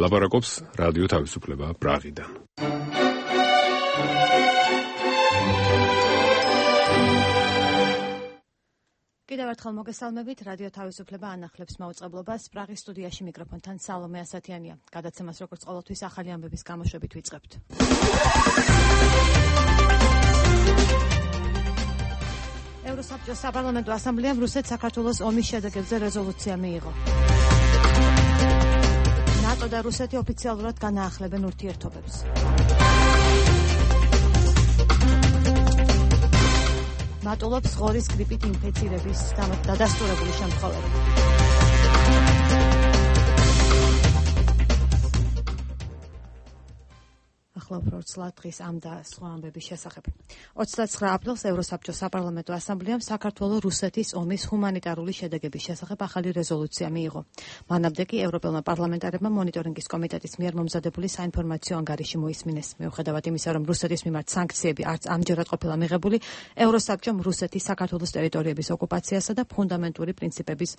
ლაპარაკობს რადიო თავისუფლება პრაღიდან. კიდევ ერთხელ მოგესალმებით, რადიო თავისუფლება ანახლებს მაუწყებლობას. პრაღის სტუდიაში მიკროფონთან სალომე ასათიანია. გადაცემას როგორც ყოველთვის ახალი ამბების გამოშვებით ვიწყებთ. ევროსაბჭოს საპარლამენტო ასამბლეამ რუსეთ-საქართველოს ომის შედეგებზე რეზოლუცია მიიღო. ნატო და რუსეთი ოფიციალურად განაახლებენ ურთიერთობებს. მატულობს ღორის გრიპით ინფექცირების დადასტურებული შემთხვევები. ახლა უფრო ცლად დღის ამ და სხვა ამბების შესახებ. 29 აპრილს ევროსაბჭოს საპარლამენტო ასამბლეამ საქართველო-რუსეთის ომის ჰუმანიტარული შედეგების შესახებ ახალი რეზოლუცია მიიღო. მანამდე კი ევროპელმა პარლამენტარებმა მონიტორინგის კომიტეტის მიერ მომზადებული საინფორმაციო ანგარიში მოისმინეს. მიუხედავად იმისა, რომ რუსეთის მიმართ სანქციები არც ამჯერად ყოფილა მიღებული, ევროსაბჭომ რუსეთის საქართველოს ტერიტორიების ოკუპაციასა და ფუნდამენტური პრინციპების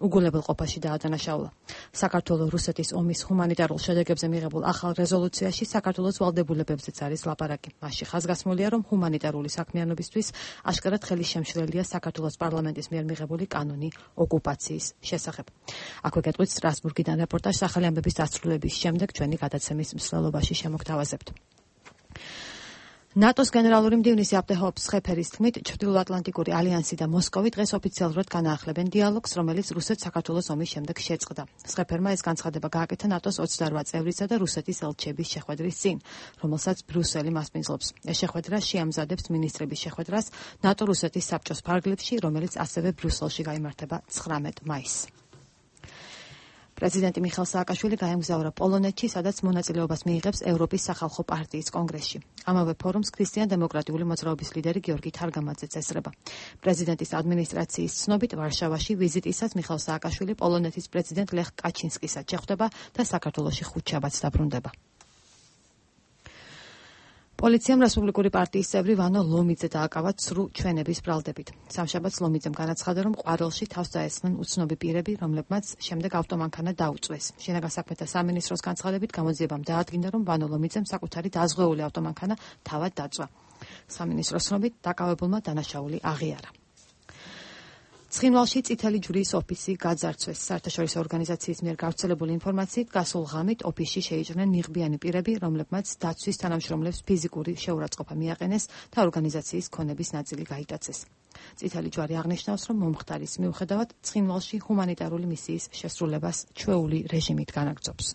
უგულებელყოფაში დაადანაშაულა. საქართველო-რუსეთის ომის ჰუმანიტარულ შედეგებზე მიღებულ ახალ რეზოლუციაში საქართველოს ვალდებულებებზეც არის ლაპარაკი. მასში ხაზგასმულია, რომ ჰუმანიტარული საქმიანობისთვის აშკარად ხელი შემშლელია საქართველოს პარლამენტის მიერ მიღებული კანონი ოკუპაციის შესახებ. აქვე გეტყვით სტრასბურგიდან რეპორტაჟს ახალი ამბების დასრულების შემდეგ ჩვენი გადაცემის მსვლელობაში შემოგთავაზებთ. ნატოს გენერალური მდივნის აპტეჰოფ სხეფერის თქმით, ჩრდილოატლანტიკური ალიანსი და მოსკოვი დღეს ოფიციალურად განაახლებენ დიალოგს, რომელიც რუსეთ-საქართველოს ომის შემდეგ შეწყდა. სხეფერმა ეს განცხადება გააკეთა ნატოს 28 წევრისა და რუსეთის ელჩების შეხვედრის წინ, რომელსაც ბრიუსელი მასპინძლობს. ეს შეხვედრა შეამზადებს მინისტრების შეხვედრას ნატო-რუსეთის საბჭოს ფარგლებში, რომელიც ასევე ბრიუსელში გაიმართება 19 მაისს. პრეზიდენტი მიხეილ სააკაშვილი გაემგზავრა პოლონეთში, სადაც მონაწილეობას მიიღებს ევროპის სახალხო პარტიის კონგრესში. ამავე ფორუმს ქრისტიან-დემოკრატიული მოძრაობის ლიდერი გიორგი თარგამაძეც ესწრება. პრეზიდენტის ადმინისტრაციის ცნობით, ვარშავაში ვიზიტისას მიხეილ სააკაშვილი პოლონეთის პრეზიდენტ ლეხ კაჩინსკისაც შეხვდება და საქართველოში ხუთშაბათს დაბრუნდება. პოლიციამ რესპუბლიკური პარტიის წევრი ვანო ლომიძე დააკავა ცრუ ჩვენების ბრალდებით. სამშაბათს ლომიძემ განაცხადა, რომ ყვარელში თავს დაესხნენ უცნობი პირები, რომლებმაც შემდეგ ავტომანქანა დაუწვეს. შინაგან საქმეთა სამინისტროს განცხადებით გამოძიებამ დაადგინა, რომ ვანო ლომიძემ საკუთარი დაზღვეული ავტომანქანა თავად დაწვა. სამინისტროს ცნობით, დაკავებულმა დანაშაული აღიარა. ცხინვალში წითელი ჯვრის ოფისი გაძარცვეს. საერთაშორისო ორგანიზაციის მიერ გავრცელებული ინფორმაციით, გასულ ღამით ოფისში შეიჭრნენ ნიღბიანი პირები, რომლებმაც დაცვის თანამშრომლებს ფიზიკური შეურაცხყოფა მიაყენეს და ორგანიზაციის ქონების ნაწილი გაიტაცეს. წითელი ჯვარი აღნიშნავს, რომ მომხდარის მიუხედავად ცხინვალში ჰუმანიტარული მისიის შესრულებას ჩვეული რეჟიმით განაგრძობს.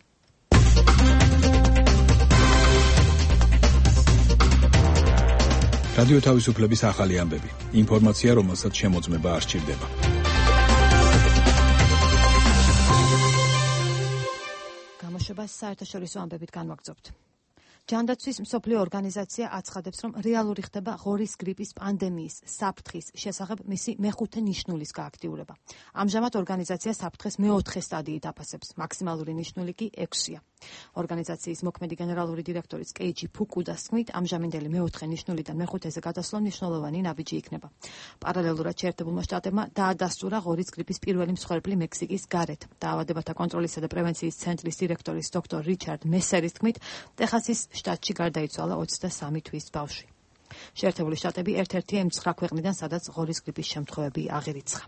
რადიო თავისუფლების ახალი ამბები. ინფორმაცია, რომელსაც შემოწმება არ სჭირდება. გამოშვებას საერთაშორისო ამბებით განვაგრძობთ. ჯანდაცვის მსოფლიო ორგანიზაცია აცხადებს, რომ რეალური ხდება ღორის გრიპის პანდემიის საფრთხის შესახებ მისი მეხუთე ნიშნულის გააქტიურება. ამჟამად ორგანიზაცია საფრთხეს მეოთხე სტადიით აფასებს, მაქსიმალური ნიშნული კი 6-ია. ორგანიზაციის მოქმედი გენერალური დირექტორის კეიჯი ფუკუდას თქმით, ამჟამინდელი მეოთხე ნიშნულიდან მეხუთეზე გადასვლა მნიშვნელოვანი ნაბიჯი იქნება. პარალელურად შეერთებულმა შტატებმა დაადასტურა ღორის გრიპის პირველი მსხვერპლი მექსიკის გარეთ. დაავადებათა კონტროლისა და პრევენციის ცენტრის დირექტორის დოქტორ რიჩარდ მესერის თქმით, ტეხასის შტატში გარდაიცვალა 23 თვის ბავშვი. შეერთებული შტატები ერთ-ერთია იმ 9 ქვეყნიდან, სადაც ღორის გრიპის შემთხვევები აღირიცხა.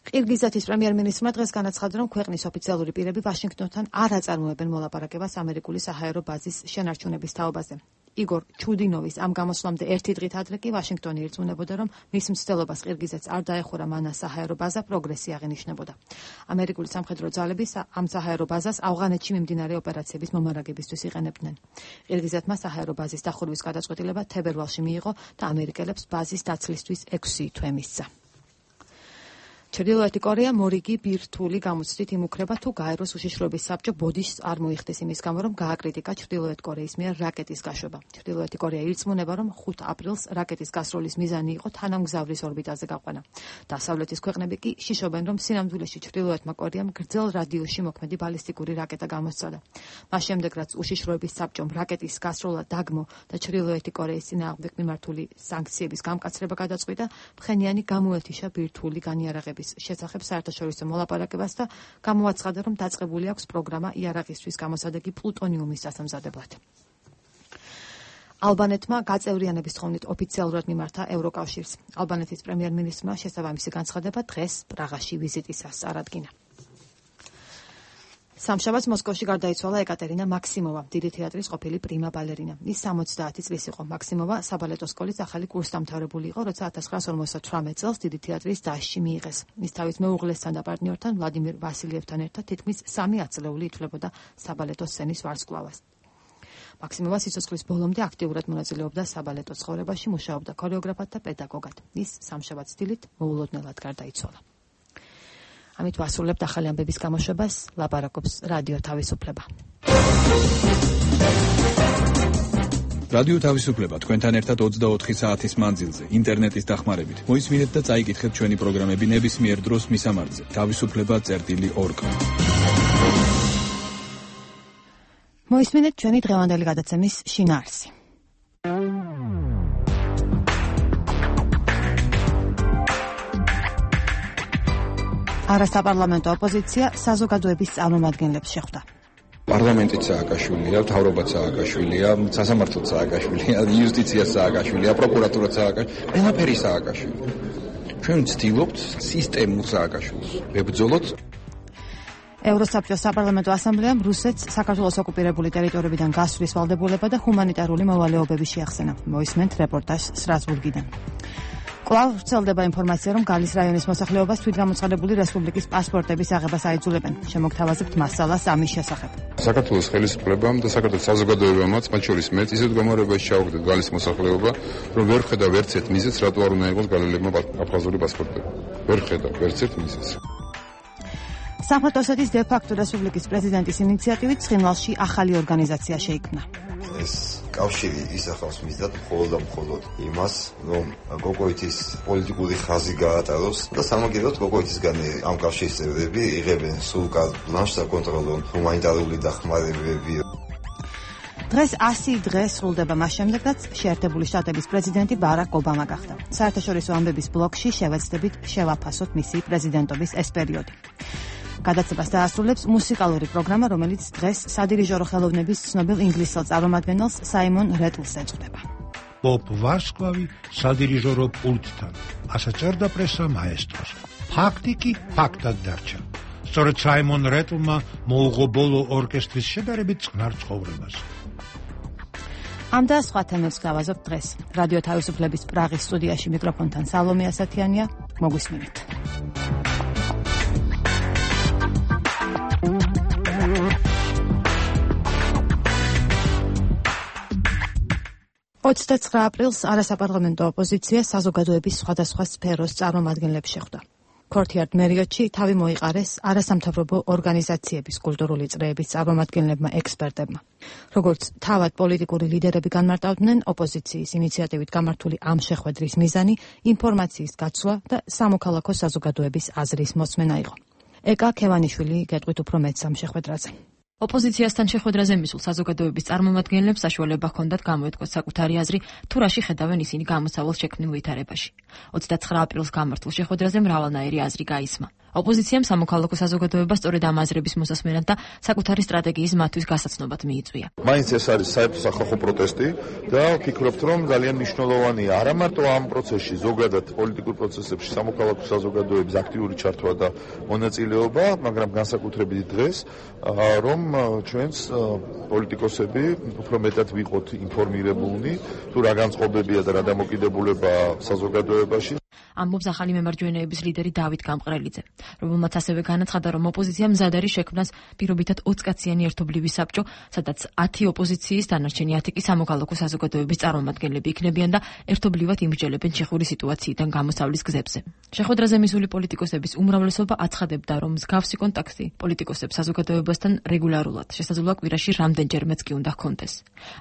ყირგიზეთის პრემიერ-მინისტრმა დღეს განაცხადა, რომ ქვეყნის ოფიციალური პირები ვაშინგტონთან არ აწარმოებენ მოლაპარაკებას ამერიკული საჰაერო ბაზის შენარჩუნების თაობაზე. იგორ ჩუდინოვის ამ გამოსვლამდე ერთი დღით ადრე კი ვაშინგტონი ირწმუნებოდა, რომ მის მცდელობას ყირგიზეთს არ დაეხურა მან საჰაერო ბაზა პროგრესი აღინიშნებოდა. ამერიკული სამხედრო ძალები ამ საჰაერო ბაზას ავღანეთში მიმდინარე ოპერაციების მომარაგებისთვის იყენებდნენ. ყირგიზეთმა საჰაერო ბაზის დახურვის გადაწყვეტილება თებერვალში მიიღო და ამერიკელებს ბაზის დაცლისთვის 6 თვე მისცა. ჩრდილოეთი კორეა მორიგი ბირთვული გამოცდით იმუქრება, თუ გაეროს უშიშროების საბჭო ბოდიშს არ მოიხდეს იმის გამო, რომ გააკრიტიკა ჩრდილოეთ კორეის მიერ რაკეტის გაშვება. ჩრდილოეთი კორეა ირწმუნება, რომ 5 აპრილს რაკეტის გასროლის მიზანი იყო თანამგზავრის ორბიტაზე გაყვანა. დასავლეთის ქვეყნები კი შიშობენ, რომ სინამდვილეში ჩრდილოეთმა კორეამ გრძელ რადიუსში მოქმედი ბალისტიკური რაკეტა გამოსცადა. მას შემდეგ, რაც უშიშროების საბჭომ რაკეტის გასროლა დაგმო და ჩრდილოეთი კორეის წინააღმდეგ მიმართული სანქციების გამკაცრება გადაწყვიტა, ფხენიანი გამოეთიშა ბირთვული განიარაღების დახმარების შესახებ საერთაშორისო მოლაპარაკებას და გამოაცხადა, რომ დაწყებული აქვს პროგრამა იარაღისთვის გამოსადეგი პლუტონიუმის დასამზადებლად. ალბანეთმა გაწევრიანების თხოვნით ოფიციალურად მიმართა ევროკავშირს. ალბანეთის პრემიერ-მინისტრმა შესაბამისი განცხადება დღეს პრაღაში ვიზიტისას წარადგინა. სამშაბათს მოსკოვში გარდაიცვალა ეკატერინა მაქსიმოვა, დიდი თეატრის ყოფილი პრიმა ბალერინა. ის 70 წლის იყო. მაქსიმოვა საბალეტო სკოლის ახალი კურსდამთავრებული იყო, როცა 1958 წელს დიდი თეატრის დასში მიიღეს. ის თავის მეუღლესთან და პარტნიორთან ვლადიმირ ვასილიევთან ერთად თითქმის 3 ათწლეული ითვლებოდა საბალეტო სცენის ვარსკვლავას. მაქსიმოვა სიცოცხლის ბოლომდე აქტიურად მონაწილეობდა საბალეტო ცხოვრებაში, მუშაობდა ქორეოგრაფად და პედაგოგად. ის სამშაბათს დილით მოულოდნელად გარდაიცვალა. ამით ვასრულებთ ახალი ამბების გამოშვებას, ლაპარაკობს რადიო თავისუფლება. რადიო თავისუფლება თქვენთან ერთად 24 საათის მანძილზე, ინტერნეტის დახმარებით. მოისმინეთ და წაიკითხეთ ჩვენი პროგრამები ნებისმიერ დროს მისამართზე. თავისუფლება.org. მოისმინეთ ჩვენი დღევანდელი გადაცემის შინაარსი. არასაპარლამენტო ოპოზიცია საზოგადოების წარმომადგენლებს შეხვდა. პარლამენტიც სააკაშვილია, მთავრობაც სააკაშვილია, სასამართლოც სააკაშვილია, იუსტიციაც სააკაშვილია, პროკურატურაც სააკაშვილია, ყველაფერი სააკაშვილია. ჩვენ ვცდილობთ სისტემურ სააკაშვილოს. ვებრძოლოთ ევროსაბჭოს საპარლამენტო ასამბლეამ რუსეთს საქართველოს ოკუპირებული ტერიტორიებიდან გასვლის ვალდებულება და ჰუმანიტარული მოვალეობები შეახსენა. მოისმენთ რეპორტაჟს სტრასბურგიდან. კვლავ ვრცელდება ინფორმაცია, რომ გალის რაიონის მოსახლეობას თვითგამოცხადებული რესპუბლიკის პასპორტების აღებას აიძულებენ. შემოგთავაზებთ მასალას ამის შესახებ. საქართველოს ხელისუფლებამ და საქართველოს საზოგადოებამაც, მათ შორის მეც, ისეთ გამარებაში ჩავაგდეთ გალის მოსახლეობა, რომ ვერ ხედავ ერთ მიზეზს, რატო არ უნდა იყოს გალელებმა აფხაზური პასპორტები. ვერ ხედავ ერთ მიზეზს. სამხრეთ ოსეთის დე-ფაქტო რესპუბლიკის პრეზიდენტის ინიციატივით ცხინვალში ახალი ორგანიზაცია შეიქმნა. ეს კავშირი ისახავს მიზნად მხოლოდ იმას, რომ გოგოითის პოლიტიკური ხაზი გაატაროს და სამაგიეროდ გოგოითისგან ამ კავშირის წევრები იღებენ სულ კარგ ბლანშს საკონტროლო ჰუმანიტარული დახმარებები. დღეს 100 დღე სრულდება მას შემდეგ, რაც შეერთებული შტატების პრეზიდენტი ბარაკ ობამა გახდა. საერთაშორისო ამბების ბლოკში შევეცდებით შევაფასოთ მისი პრეზიდენტობის ეს პერიოდი. გადაცემას დაასრულებს მუსიკალური პროგრამა, რომელიც დღეს სადირიჟორო ხელოვნების ცნობილ ინგლისელ წარმომადგენელს საიმონ რეტლს ეწოდება. პოპ ვარსკვლავი სადირიჟორო პულტთან. ასეც წერდა პრესა მაესტროს. ფაქტი კი ფაქტად დარჩა. სწორედ საიმონ რეტლმა მოუღო ბოლო ორკესტრის შედარებით წყნარ ცხოვრებას. ამ და სხვა თემებს გავაზობთ დღეს. რადიო თავისუფლების პრაღის სტუდიაში მიკროფონთან სალომე ასათიანია. მოგვისმინეთ. aprils არასაპარლამენტო ოპოზიცია საზოგადოების სხვადასხვა სფეროს წარმომადგენლებს შეხვდა. ქორთიარდ მერიოტში თავი მოიყარეს არასამთავრობო ორგანიზაციების კულტურული წრეების წარმომადგენლებმა ექსპერტებმა. როგორც თავად პოლიტიკური ლიდერები განმარტავდნენ, ოპოზიციის ინიციატივით გამართული ამ შეხვედრის მიზანი ინფორმაციის გაცვლა და სამოქალაქო საზოგადოების აზრის მოსმენა იყო. ეკა ქევანიშვილი გეტყვით უფრო მეტს ამ შეხვედრაზე. ოპოზიციასთან შეხვედრაზე მისულ საზოგადოების წარმომადგენლებს საშუალება ჰქონდათ გამოეთქვათ საკუთარი აზრი, თუ რაში ხედავენ ისინი გამოსავალს შექმნილ ვითარებაში. 29 აპრილს გამართულ შეხვედრაზე მრავალნაირი აზრი გაისმა. ოპოზიციამ სამოქალაქო საზოგადოებას სწორედ ამ აზრების მოსასმენად და საკუთარი სტრატეგიის მათთვის გასაცნობად მიიწვია. მაინც ეს არის საერთო სახალხო პროტესტი და ვფიქრობთ, რომ ძალიან მნიშვნელოვანია არა მარტო ამ პროცესში, ზოგადად პოლიტიკურ პროცესებში სამოქალაქო საზოგადოების აქტიური ჩართვა და მონაწილეობა, მაგრამ განსაკუთრებით დღეს, რომ ჩვენს პოლიტიკოსები უფრო მეტად ვიყოთ ინფორმირებულნი, თუ რა განწყობებია და რა დამოკიდებულება საზოგადოებაში. ამბობს ახალი მემარჯვენეების ლიდერი დავით გამყრელიძე, რომელმაც ასევე განაცხადა, რომ ოპოზიცია მზად არის შექმნას პირობითად 20 კაციანი ერთობლივი საბჭო, სადაც 10 ოპოზიციის, დანარჩენი 10 კი სამოქალაქო საზოგადოების წარმომადგენლები იქნებიან და ერთობლივად იმსჯელებენ ჩეხური სიტუაციიდან გამოსავლის გზებზე. შეხვედრაზე მისული პოლიტიკოსების უმრავლესობა აცხადებდა, რომ მსგავსი კონტაქტი პოლიტიკოსებს საზოგადოებასთან რეგულარულად, შესაძლოა კვირაში რამდენჯერმეც კი უნდა ჰქონდეს.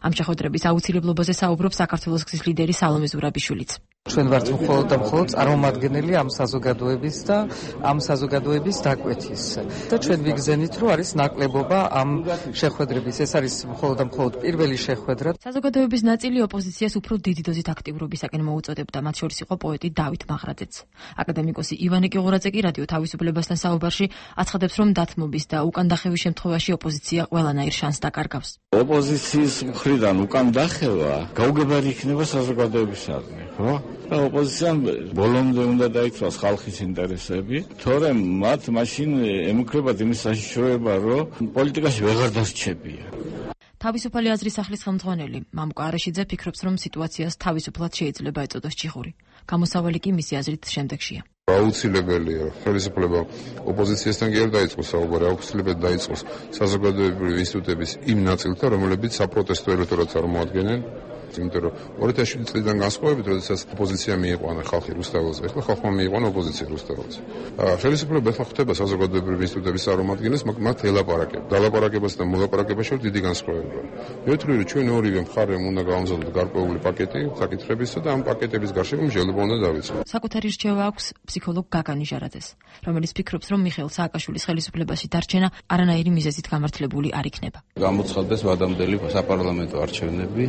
ამ შეხვედრების აუცილებლობაზე საუბრობს საქართველოს გზის ლიდერი სალომე ზურაბიშვილიც. ჩვენ ვართ მხოლოდ და მხოლოდ წარმომადგენელი ამ საზოგადოების და ამ საზოგადოების დაკვეთის. და ჩვენ ვიგზენით, რომ არის ნაკლებობა ამ შეხვედრების. ეს არის მხოლოდ პირველი შეხვედრა. საზოგადოების ნაწილი ოპოზიციას უფრო დიდი დოზით აქტიურობისაკენ მოუწოდებდა, მათ შორის იყო პოეტი დავით მაღრაძეც. აკადემიკოსი ივანე კიღურაძე კი რადიო თავისუფლებასთან საუბარში აცხადებს, რომ დათმობის და უკან დახევის შემთხვევაში ოპოზიცია ყველანაირ შანსს დაკარგავს. ოპოზიციის მხრიდან უკან დახევა გაუგებარი იქნება საზოგადოებისადმი, ხო? და ოპოზიციამ ბოლომდე უნდა დაიცვას ხალხის ინტერესები, თორემ მათ მაშინ ემუქრებათ იმის საშიშროება, რომ პოლიტიკაში ვეღარ დასრჩებიან. თავისუფალი აზრის სახლის ხელმძღვანელი მამუკა არაშიძე ფიქრობს, რომ სიტუაციას თავისუფლად შეიძლება ეწოდოს ჭიხური. გამოსავალი კი მისი აზრით შემდეგშია. აუცილებელია ხელისუფლება ოპოზიციასთან კი არ დაიწყოს საუბარი, აუცილებლად დაიწყოს საზოგადოებრივი ინსტიტუტების იმ ნაწილთან, რომლებიც საპროტესტო ელექტორატს წარმოადგენენ. იმიტომ რომ 2007 წლიდან განსხვავებით, როდესაც ოპოზიცია მიიყვანა ხალხი რუსთაველზე, ახლა ხალხმა მიიყვანა ოპოზიცია რუსთაველზე. ხელისუფლება ახლა ხდება საზოგადოებრივი ინსტიტუტების წარმომადგენლებს, მათ ელაპარაკება. დალაპარაკებასა და მოლაპარაკებაში შორის დიდი განსხვავებაა. მეუთვლი, რომ ჩვენ ორივე მხარემ უნდა გავამზადოთ გარკვეული პაკეტი საკითხებისა და ამ პაკეტების გარშემო მსჯელობა უნდა დავიწყოთ. საკუთარი რჩევა აქვს ფსიქოლოგ გაგანი ჟარაძეს, რომელიც ფიქრობს, რომ მიხეილ სააკაშვილის ხელისუფლებაში დარჩენა არანაირი მიზეზით გამართლებული არ იქნება. გამოცხადდეს ვადამდელი საპარლამენტო არჩევნები.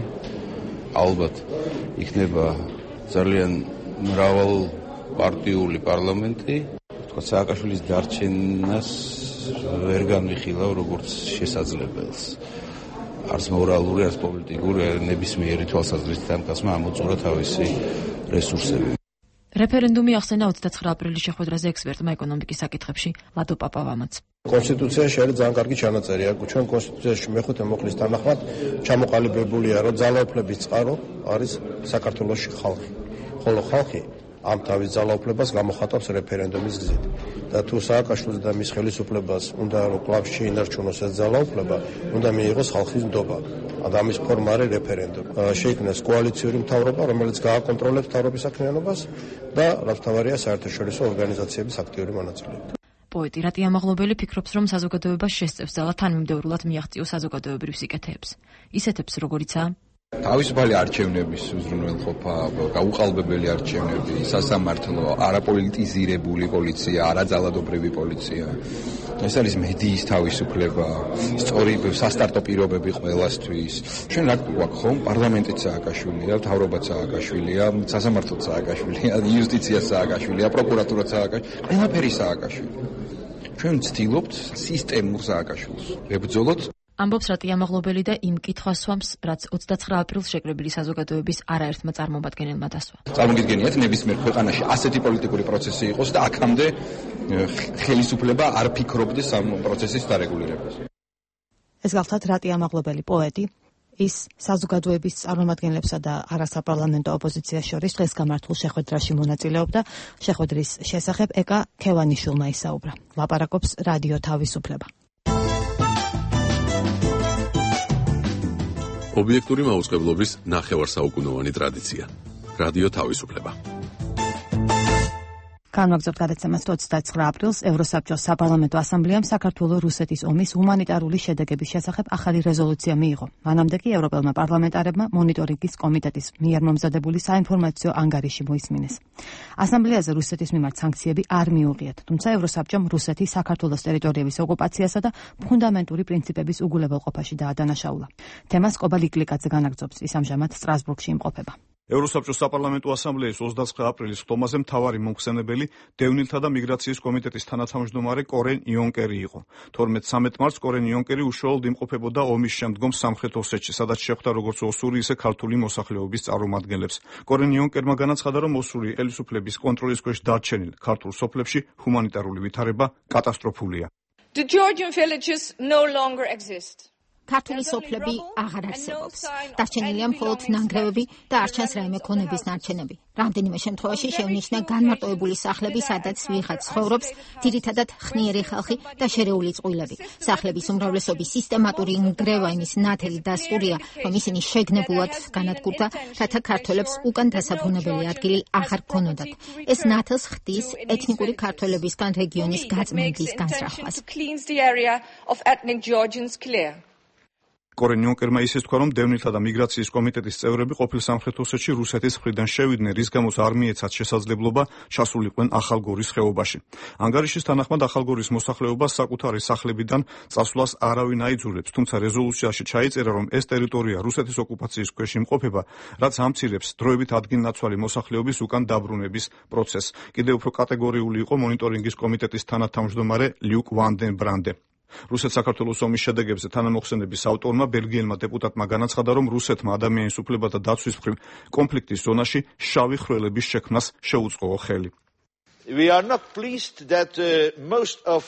ალბათ იქნება ძალიან მრავალპარტიული პარლამენტი. თქვა სააკაშვილის დარჩენას ვერ განვიხილავ როგორც შესაძლებელს. არც მორალური, არც პოლიტიკური, ნებისმიერი თვალსაზრისით ამ კაცმა ამოწურა თავისი რესურსები. რეფერენდუმი ახსენა 29 აპრილის შეხვედრაზე ექსპერტმა ეკონომიკის საკითხებში ლადო პაპავამაც. კონსტიტუციაში არის ძალიან კარგი ჩანაწერი. ჩვენ კონსტიტუციაში მეხუთე მოხლის თანახმად ჩამოყალიბებულია, რომ ძალაუფლების წყარო არის საქართველოში ხალხი. ხოლო ხალხი ამ თავის ძალაუფლებას გამოხატავს რეფერენდუმის გზით. და თუ სააკაშვილს და მის ხელისუფლებას უნდა რომ კლავ შეინარჩუნოს ეს ძალაუფლება, უნდა მიიღოს ხალხის ნდობა. ამის ფორმა არის რეფერენდუმი. შეიქმნას კოალიციური მთავრობა, რომელიც გააკონტროლებს მთავრობის საქმიანობას და რაც მთავარია საერთაშორისო ორგანიზაციების აქტიური მონაწილეობა. პოეტი რატია მაღლობელი ფიქრობს, რომ საზოგადოება შესწევს ძალა თანმიმდევრულად მიაღწიოს საზოგადოებრივ სიკეთეებს. ისეთებს, როგორიცაა თავისუფალი არჩევნების უზრუნველყოფა, გაუყალბებელი არჩევნები, სასამართლო, არაპოლიტიზირებული პოლიცია, არაძალადობრივი პოლიცია. ეს არის მედიის თავისუფლება, სწორი სასტარტო პირობები ყველასთვის. ჩვენ რა გვაქვს ხომ? პარლამენტიც სააკაშვილია, მთავრობაც სააკაშვილია, სასამართლოც სააკაშვილია, იუსტიციაც სააკაშვილია, პროკურატურაც სააკაშვილია, ყველაფერი სააკაშვილია. ჩვენ ვცდილობთ სისტემურ სააკაშვილს. ვებრძოლოთ ამბობს რატია მაღლობელი და იმ კითხვას სვამს, რაც 29 აპრილს შეკრებილი საზოგადოების არაერთმა წარმომადგენელმა დასვა. წარმოგიდგენიათ, ნებისმიერ ქვეყანაში ასეთი პოლიტიკური პროცესი იყოს და აქამდე ხელისუფლება არ ფიქრობდეს ამ პროცესის დარეგულირებას. ეს გახლავთ რატია მაღლობელი პოეტი, ის საზოგადოების წარმომადგენლებსა და არასაპარლამენტო ოპოზიციას შორის დღეს გამართულ შეხვედრაში მონაწილეობდა. შეხვედრის შესახებ ეკა ქევანიშვილმა ისაუბრა. ლაპარაკობს რადიო თავისუფლება. ობიექტური მაუწყებლობის ნახევარსაუკუნოვანი ტრადიცია. რადიო თავისუფლება. განვაგრძობთ გადაცემას 29 აპრილს ევროსაბჭოს საპარლამენტო ასამბლეამ საქართველო-რუსეთის ომის ჰუმანიტარული შედეგების შესახებ ახალი რეზოლუცია მიიღო. მანამდე კი ევროპელმა პარლამენტარებმა მონიტორინგის კომიტეტის მიერ მომზადებული საინფორმაციო ანგარიში მოისმინეს. ასამბლეაზე რუსეთის მიმართ სანქციები არ მიუღიათ, თუმცა ევროსაბჭომ რუსეთის საქართველოს ტერიტორიების ოკუპაციასა და ფუნდამენტური პრინციპების უგულებელყოფაში დაადანაშაულა. თემას კობა ლიკლიკაძე განაგრძობს, ის ამჟამად სტრასბურგში იმყოფება. ევროსაბჭოს საპარლამენტო ასამბლეის 29 აპრილის ხტომაზე მთავარი მომხსენებელი დევნილთა და მიგრაციის კომიტეტის თანათავმჯდომარე კორენ იონკერი იყო. 12-13 მარტს კორენ იონკერი უშუალოდ იმყოფებოდა ომის შემდგომ სამხრეთ ოსეთში, სადაც შეხვდა როგორც ოსური, ისე ქართული მოსახლეობის წარმომადგენლებს. კორენ იონკერმა განაცხადა, რომ ოსური ხელისუფლების კონტროლის ქვეშ დარჩენილ ქართულ სოფლებში ჰუმანიტარული ვითარება კატასტროფულია. The Georgian villages no longer exist. ქართული სოფლები აღარ არსებობს. დარჩენილია მხოლოდ ნანგრევები და არ ჩანს რაიმე ქონების ნარჩენები. რამდენიმე შემთხვევაში შევნიშნა განმარტოებული სახლები, სადაც ვიღაც ცხოვრობს, ძირითადად ხნიერი ხალხი და შერეული წყვილები. სახლების უმრავლესობის სისტემატური ნგრევა იმის ნათელი დასტურია, რომ ისინი შეგნებულად განადგურდა, რათა ქართველებს უკან დასაბრუნებელი ადგილი აღარ გქონოდათ. ეს ნათელს ხდის ეთნიკური ქართველებისგან რეგიონის გაწმენდის განსრახვას. კორენ იონკერმა ისიც თქვა, რომ დევნილთა და მიგრაციის კომიტეტის წევრები ყოფილ სამხრეთ ოსეთში რუსეთის მხრიდან შევიდნენ, რის გამოც არ მიეცათ შესაძლებლობა ჩასულიყვნენ ახალგორის ხეობაში. ანგარიშის თანახმად ახალგორის მოსახლეობას საკუთარი სახლებიდან წასვლას არავინ აიძულებს, თუმცა რეზოლუციაში ჩაიწერა, რომ ეს ტერიტორია რუსეთის ოკუპაციის ქვეშ იმყოფება, რაც ამცირებს დროებით ადგილნაცვალი მოსახლეობის უკან დაბრუნების პროცესს. კიდევ უფრო კატეგორიული იყო მონიტორინგის კომიტეტის თანათავმჯდომარე ლიუკ ვანდენ ბრანდე. რუსეთ-საქართველოს ომის შედეგებზე თანამოხსენების ავტორმა ბელგიელმა დეპუტატმა განაცხადა, რომ რუსეთმა ადამიანის უფლებათა დაცვის მხრივ კონფლიქტის ზონაში შავი ხვრელების შექმნას შეუწყო ხელი. We are not pleased that most of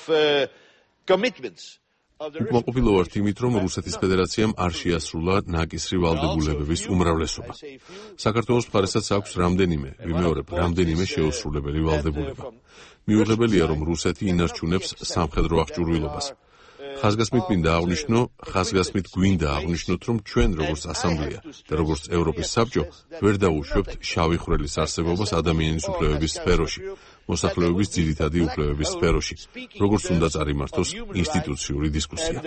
commitments უკმაყოფილო ვართ იმით, რომ რუსეთის ფედერაციამ არ შეასრულა ნაკისრი ვალდებულებების უმრავლესობა. საქართველოს მხარესაც აქვს რამდენიმე შეუსრულებელი ვალდებულება. მიუღებელია, რომ რუსეთი ინარჩუნებს სამხედრო აღჭურვილობას. ხაზგასმით გვინდა აღვნიშნოთ, რომ ჩვენ როგორც ასამბლეა და როგორც ევროპის საბჭო ვერ დაუშვებთ შავი ხვრელის არსებობას ადამიანის უფლებების სფეროში, მოსახლეობის ძირითადი უფლებების სფეროში, როგორც უნდა წარიმართოს ინსტიტუციური დისკუსია.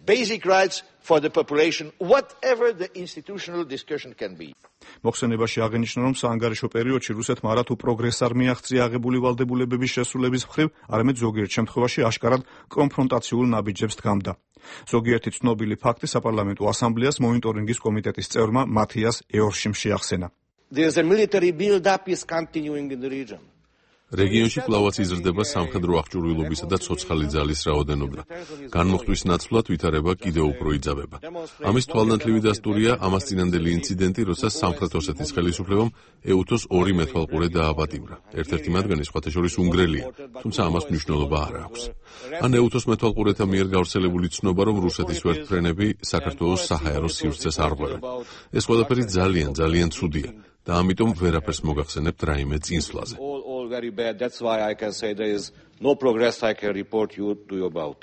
Basic rights for the population, whatever the institutional discussion can be. მოხსენებაში აღინიშნა, რომ საანგარიშო პერიოდში რუსეთმა არათუ პროგრესს არ მიაღწია აღებული ვალდებულებების შესრულების მხრივ, არამედ ზოგიერთ შემთხვევაში აშკარად კონფრონტაციულ ნაბიჯებს დგამდა. ზოგიერთი ცნობილი ფაქტი საპარლამენტო ასამბლეას მონიტორინგის კომიტეტის წევრმა მათიას ეორშიმ შეახსენა. There's a military build-up is continuing in the region. რეგიონში კვლავაც იზრდება სამხედრო აღჭურვილობისა და ცოცხალი ძალის რაოდენობა. განმოხტვის ნაცვლად ვითარება კიდევ უფრო იძაბება. ამის თვალნათლივი დასტურია ამას წინანდელი ინციდენტი, როცა სამხრეთ ოსეთის ხელისუფლებამ ეუთოს 2 მეთვალყურე დააპატიმრა. ერთ-ერთი მათგანი სხვათა შორის უნგრელია, თუმცა ამას მნიშვნელობა არ აქვს. ან ეუთოს მეთვალყურეთა მიერ გავრცელებული ცნობა, რომ რუსეთის ვერტმფრენები საქართველოს საჰაერო სივრცეს არ ყვევენ. ეს ყველაფერი ძალიან ცუდია და ამიტომ ვერაფერს მოგახსენებთ რაიმე წინსვლაზე. Very bad. That's why I can say there is no progress I can report to you about.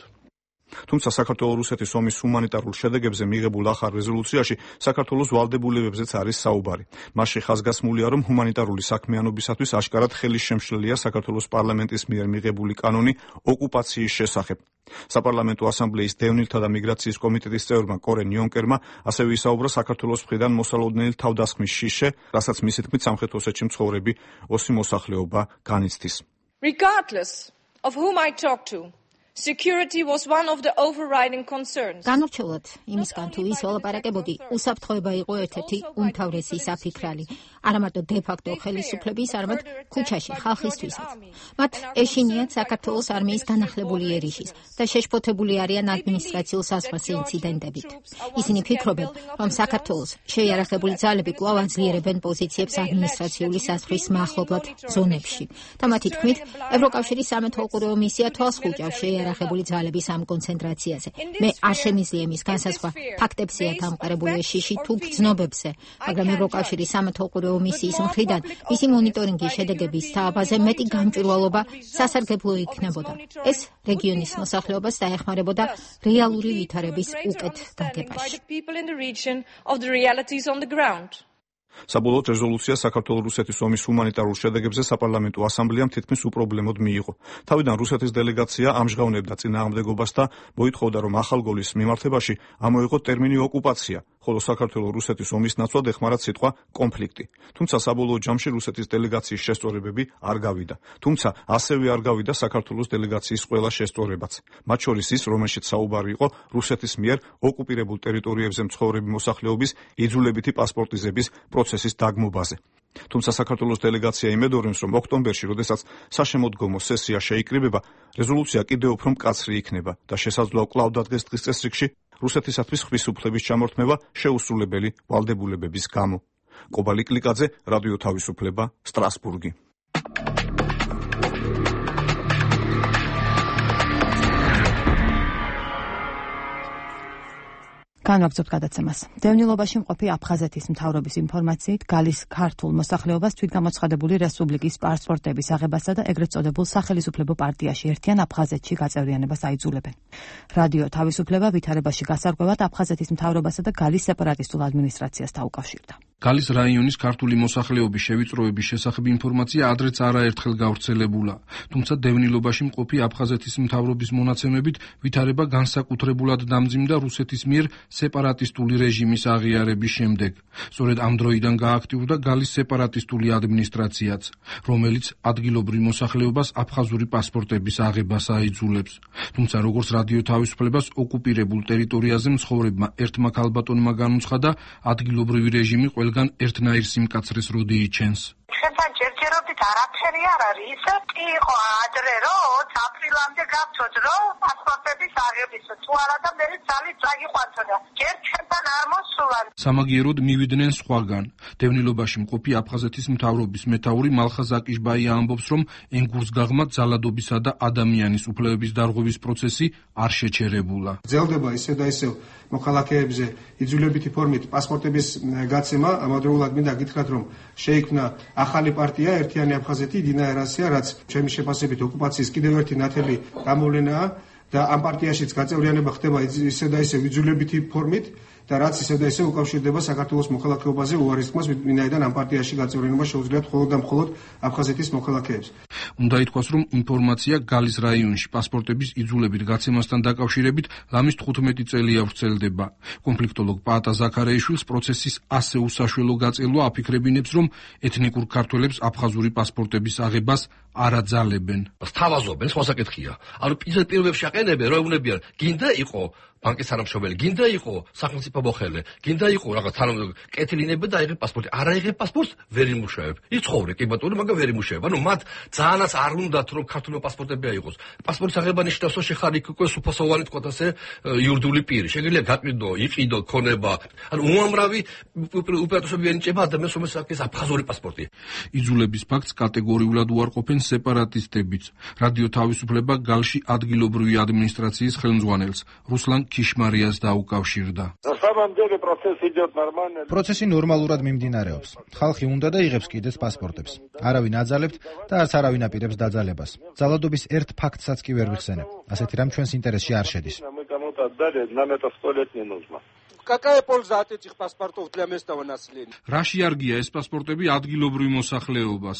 თუმცა საქართველოს-რუსეთის ომის ჰუმანიტარულ შედეგებზე მიღებულ ახალ რეზოლუციაში საქართველოს ვალდებულებებზეც არის საუბარი. მასში ხაზგასმულია, რომ ჰუმანიტარული საქმიანობისათვის აშკარად ხელისშემშლელია საქართველოს პარლამენტის მიერ მიღებული კანონი ოკუპაციის შესახებ. საპარლამენტო ასამბლეის დევნილთა და მიგრაციის კომიტეტის წევრმა კორენ იონკერმა ასევე ისაუბრა საქართველოს მხრიდან მოსალოდნელი თავდასხმის შიშე, რასაც მისი თქმით სამხრეთ ოსეთში მცხოვრები ოსი მოსახლეობა განიცდის. Regardless of whom I talk to, security was one of the overriding concerns. განურჩევლად იმისგან თუ ის ველაპარაკებოდი, უსაფრთხოება იყო ერთ-ერთი უმთავრესი საფიქრალი, არა მარტო დე-ფაქტო ხელისუფლების, არამედ ქუჩაში ხალხისთვისაც. მათ ეშინიათ საქართველოს არმიის განახლებული ერიშის და შეშფოთებული არიან ადმინისტრაციულ საზღვარზე ინციდენტებით. ისინი ფიქრობენ, რომ საქართველოს შეიარაღებული ძალები კვლავ აძლიერებენ პოზიციებს ადმინისტრაციული საზღვრის მახლობლად ზონებში. და მათი თქმით, ევროკავშირის სამეთვალყურეო მისია თვალს ხუჭავს შეიარაღებული ძალების ამ კონცენტრაციაზე. მე არ შემიძლია იმის განსაზღვრა ფაქტებზეა დამყარებული შიში თუ გრძნობებზე, მაგრამ ევროკავშირის სამეთვალყურეო მისიის მხრიდან მისი მონიტორინგის შედეგების თავაზე მეტი გამჭვირვალობა სასარგებლო იქნებოდა. ეს რეგიონის მოსახლეობას დაეხმარებოდა რეალური ვითარების უკეთ გაგებაში. საბოლოოდ რეზოლუცია საქართველოს-რუსეთის ომის ჰუმანიტარულ შედეგებზე საპარლამენტო ასამბლეამ თითქმის უპრობლემოდ მიიღო. თავიდან რუსეთის დელეგაცია ამჟღავნებდა წინააღმდეგობას და მოითხოვდა, რომ ახალგოლის მიმართებაში ამოიღო ტერმინი ოკუპაცია, ხოლო საქართველოს-რუსეთის ომის ნაცვლად ეხმარათ სიტყვა კონფლიქტი. თუმცა საბოლოო ჯამში რუსეთის დელეგაციის შესწორებები არ გავიდა. თუმცა ასევე არ გავიდა საქართველოს დელეგაციის ყველა შესწორებაც. მათ შორის ის, რომელშიც საუბარი იყო რუსეთის მიერ ოკუპირებულ ტერიტორიებზე მცხოვრები მოსახლეობის იძულებითი პასპორტიზების პროცესის დაგმობაზე. თუმცა საქართველოს დელეგაცია იმედოვნებს, რომ ოქტომბერში, როდესაც საშემოდგომო სესია შეიკრიბება, რეზოლუცია კიდევ უფრო მკაცრი იქნება და შესაძლოა კვლავ დადგეს დღის წესრიგში რუსეთისათვის ხვის უფლების ჩამორთმევა შეუსრულებელი ვალდებულებების გამო. კობალი კლიკაძე, რადიო თავისუფლება, სტრასბურგი. განვაგრძობთ გადაცემას. დევნილობაში მყოფი აფხაზეთის მთავრობის ინფორმაციით გალის ქართულ მოსახლეობას თვითგამოცხადებული რესპუბლიკის პასპორტების აღებასა და ეგრეთ წოდებულ სახელისუფლებო პარტიაში ერთიან აფხაზეთში გაწევრიანებას აიძულებენ. რადიო თავისუფლება ვითარებაში გასარკვევად აფხაზეთის მთავრობასა და გალის სეპარატისტულ ადმინისტრაციას დაუკავშირდა. გალის რაიონის ქართული მოსახლეობის შევიწროების შესახებ ინფორმაცია ადრეც არაერთხელ გავრცელებულა, თუმცა დევნილობაში მყოფი აფხაზეთის მთავრობის მონაცემებით ვითარება განსაკუთრებულად დამძიმდა რუსეთის მიერ სეპარატისტული რეჟიმის აღიარების შემდეგ. სწორედ ამ დროიდან გააქტიურდა გალის სეპარატისტული ადმინისტრაციაც, რომელიც ადგილობრივ მოსახლეობას აფხაზური პასპორტების აღებას აიძულებს. თუმცა როგორც რადიო თავისუფლებას ოკუპირებულ ტერიტორიაზე მცხოვრებმა ერთმა ქალბატონმა განუცხადა, ადგილობრივი რეჟიმი ყველგან ერთნაირ სიმკაცრეს როდი იჩენს. ხებთან ჯერჯერობით არაფერი არ არის. ისე კი იყო ადრე, რომ აპრილამდე გავწოდ, რომ პასპორტების აღების თუ არა და მე ძალით წაგიყვანთოდა. ჯერ ჩემთან არ მოსულან. სამაგიეროდ მივიდნენ სხვაგან. დევნილობაში მყოფი აფხაზეთის მთავრობის მეთაური მალხაზ აკიშბაია ამბობს, რომ ენგურსგაღმა ძალადობისა და ადამიანის უფლებების დარღვევის პროცესი არ შეჩერებულა. გრძელდება ისევ და ისევ მოქალაქეებზე იძულებითი ფორმით პასპორტების გაცემა. ამავდროულად მინდა გითხრათ, რომ შეიქმნა ახალი პარტია ერთიანი აფხაზეთი დინაერასია, რაც ჩემი შეფასებით ოკუპაციის კიდევ ერთი ნათელი გამოვლენაა და ამ პარტიაშიც გაწევრიანება ხდება ისევ და ისევ იძულებითი ფორმით და რაც ისევ და ისევ უკავშირდება საქართველოს მოქალაქეობაზე უარის თქმას, ვინაიდან ამ პარტიაში გაწევრიანება შეუძლიათ მხოლოდ და მხოლოდ აფხაზეთის მოქალაქეებს. უნდა ითქვას, რომ ინფორმაცია გალის რაიონში პასპორტების იძულებით გაცემასთან დაკავშირებით ლამის 15 წელია ვრცელდება. კონფლიქტოლოგ პაატა ზაქარეიშვილს პროცესის ასე უსაშველო გაწელვა აფიქრებინებს, რომ ეთნიკურ ქართველებს აფხაზური პასპორტების აღებას არ აძალებენ. სთავაზობენ, სხვა საკითხია. ანუ პირველებში აყენებენ, რომ ეუბნებიან, გინდა იყო ბანკის თანამშრომელი, გინდა იყო სახელმწიფო მოხელე, გინდა იყო რაღაც კეთილინები და აიღე პასპორტი. არ აიღე პასპორტს, ვერ იმუშავებ. იცხოვრე კი ბატონო, მაგრამ ვერ იმუშავებ. ანუ მათ ძალიანაც არ უნდათ, რომ ქართული პასპორტები აიღოს. პასპორტის აღება ნიშნავს, რომ შეხარ იქ უკვე სუფოსოვანი თქვათ ასე იურიდიული პირი. შეგიძლია გაყიდო, იყიდო, ქონება. ანუ უამრავი უპირატესობები ენიჭება ადამიანს, რომელსაც აქვს აფხაზური პასპორტი. იძულების ფაქტს კატეგორიულად უარყოფენ სეპარატისტებიც. რადიო თავისუფლება გალში ადგილობრივი ადმინისტრაციის ხელმძღვანელს რუსლან ქიშმარიას დაუკავშირდა. პროცესი ნორმალურად მიმდინარეობს. ხალხი უნდა და იღებს კიდეც პასპორტებს. არავინ აძალებთ და არც არავინ აპირებს დაძალებას. ძალადობის ერთ ფაქტსაც კი ვერ ვიხსენებ. ასეთი რამ ჩვენს ინტერესში არ შედის. Какая польза от этих паспортов для местного населения? რაში არგია ეს პასპორტები ადგილობრივ მოსახლეობას?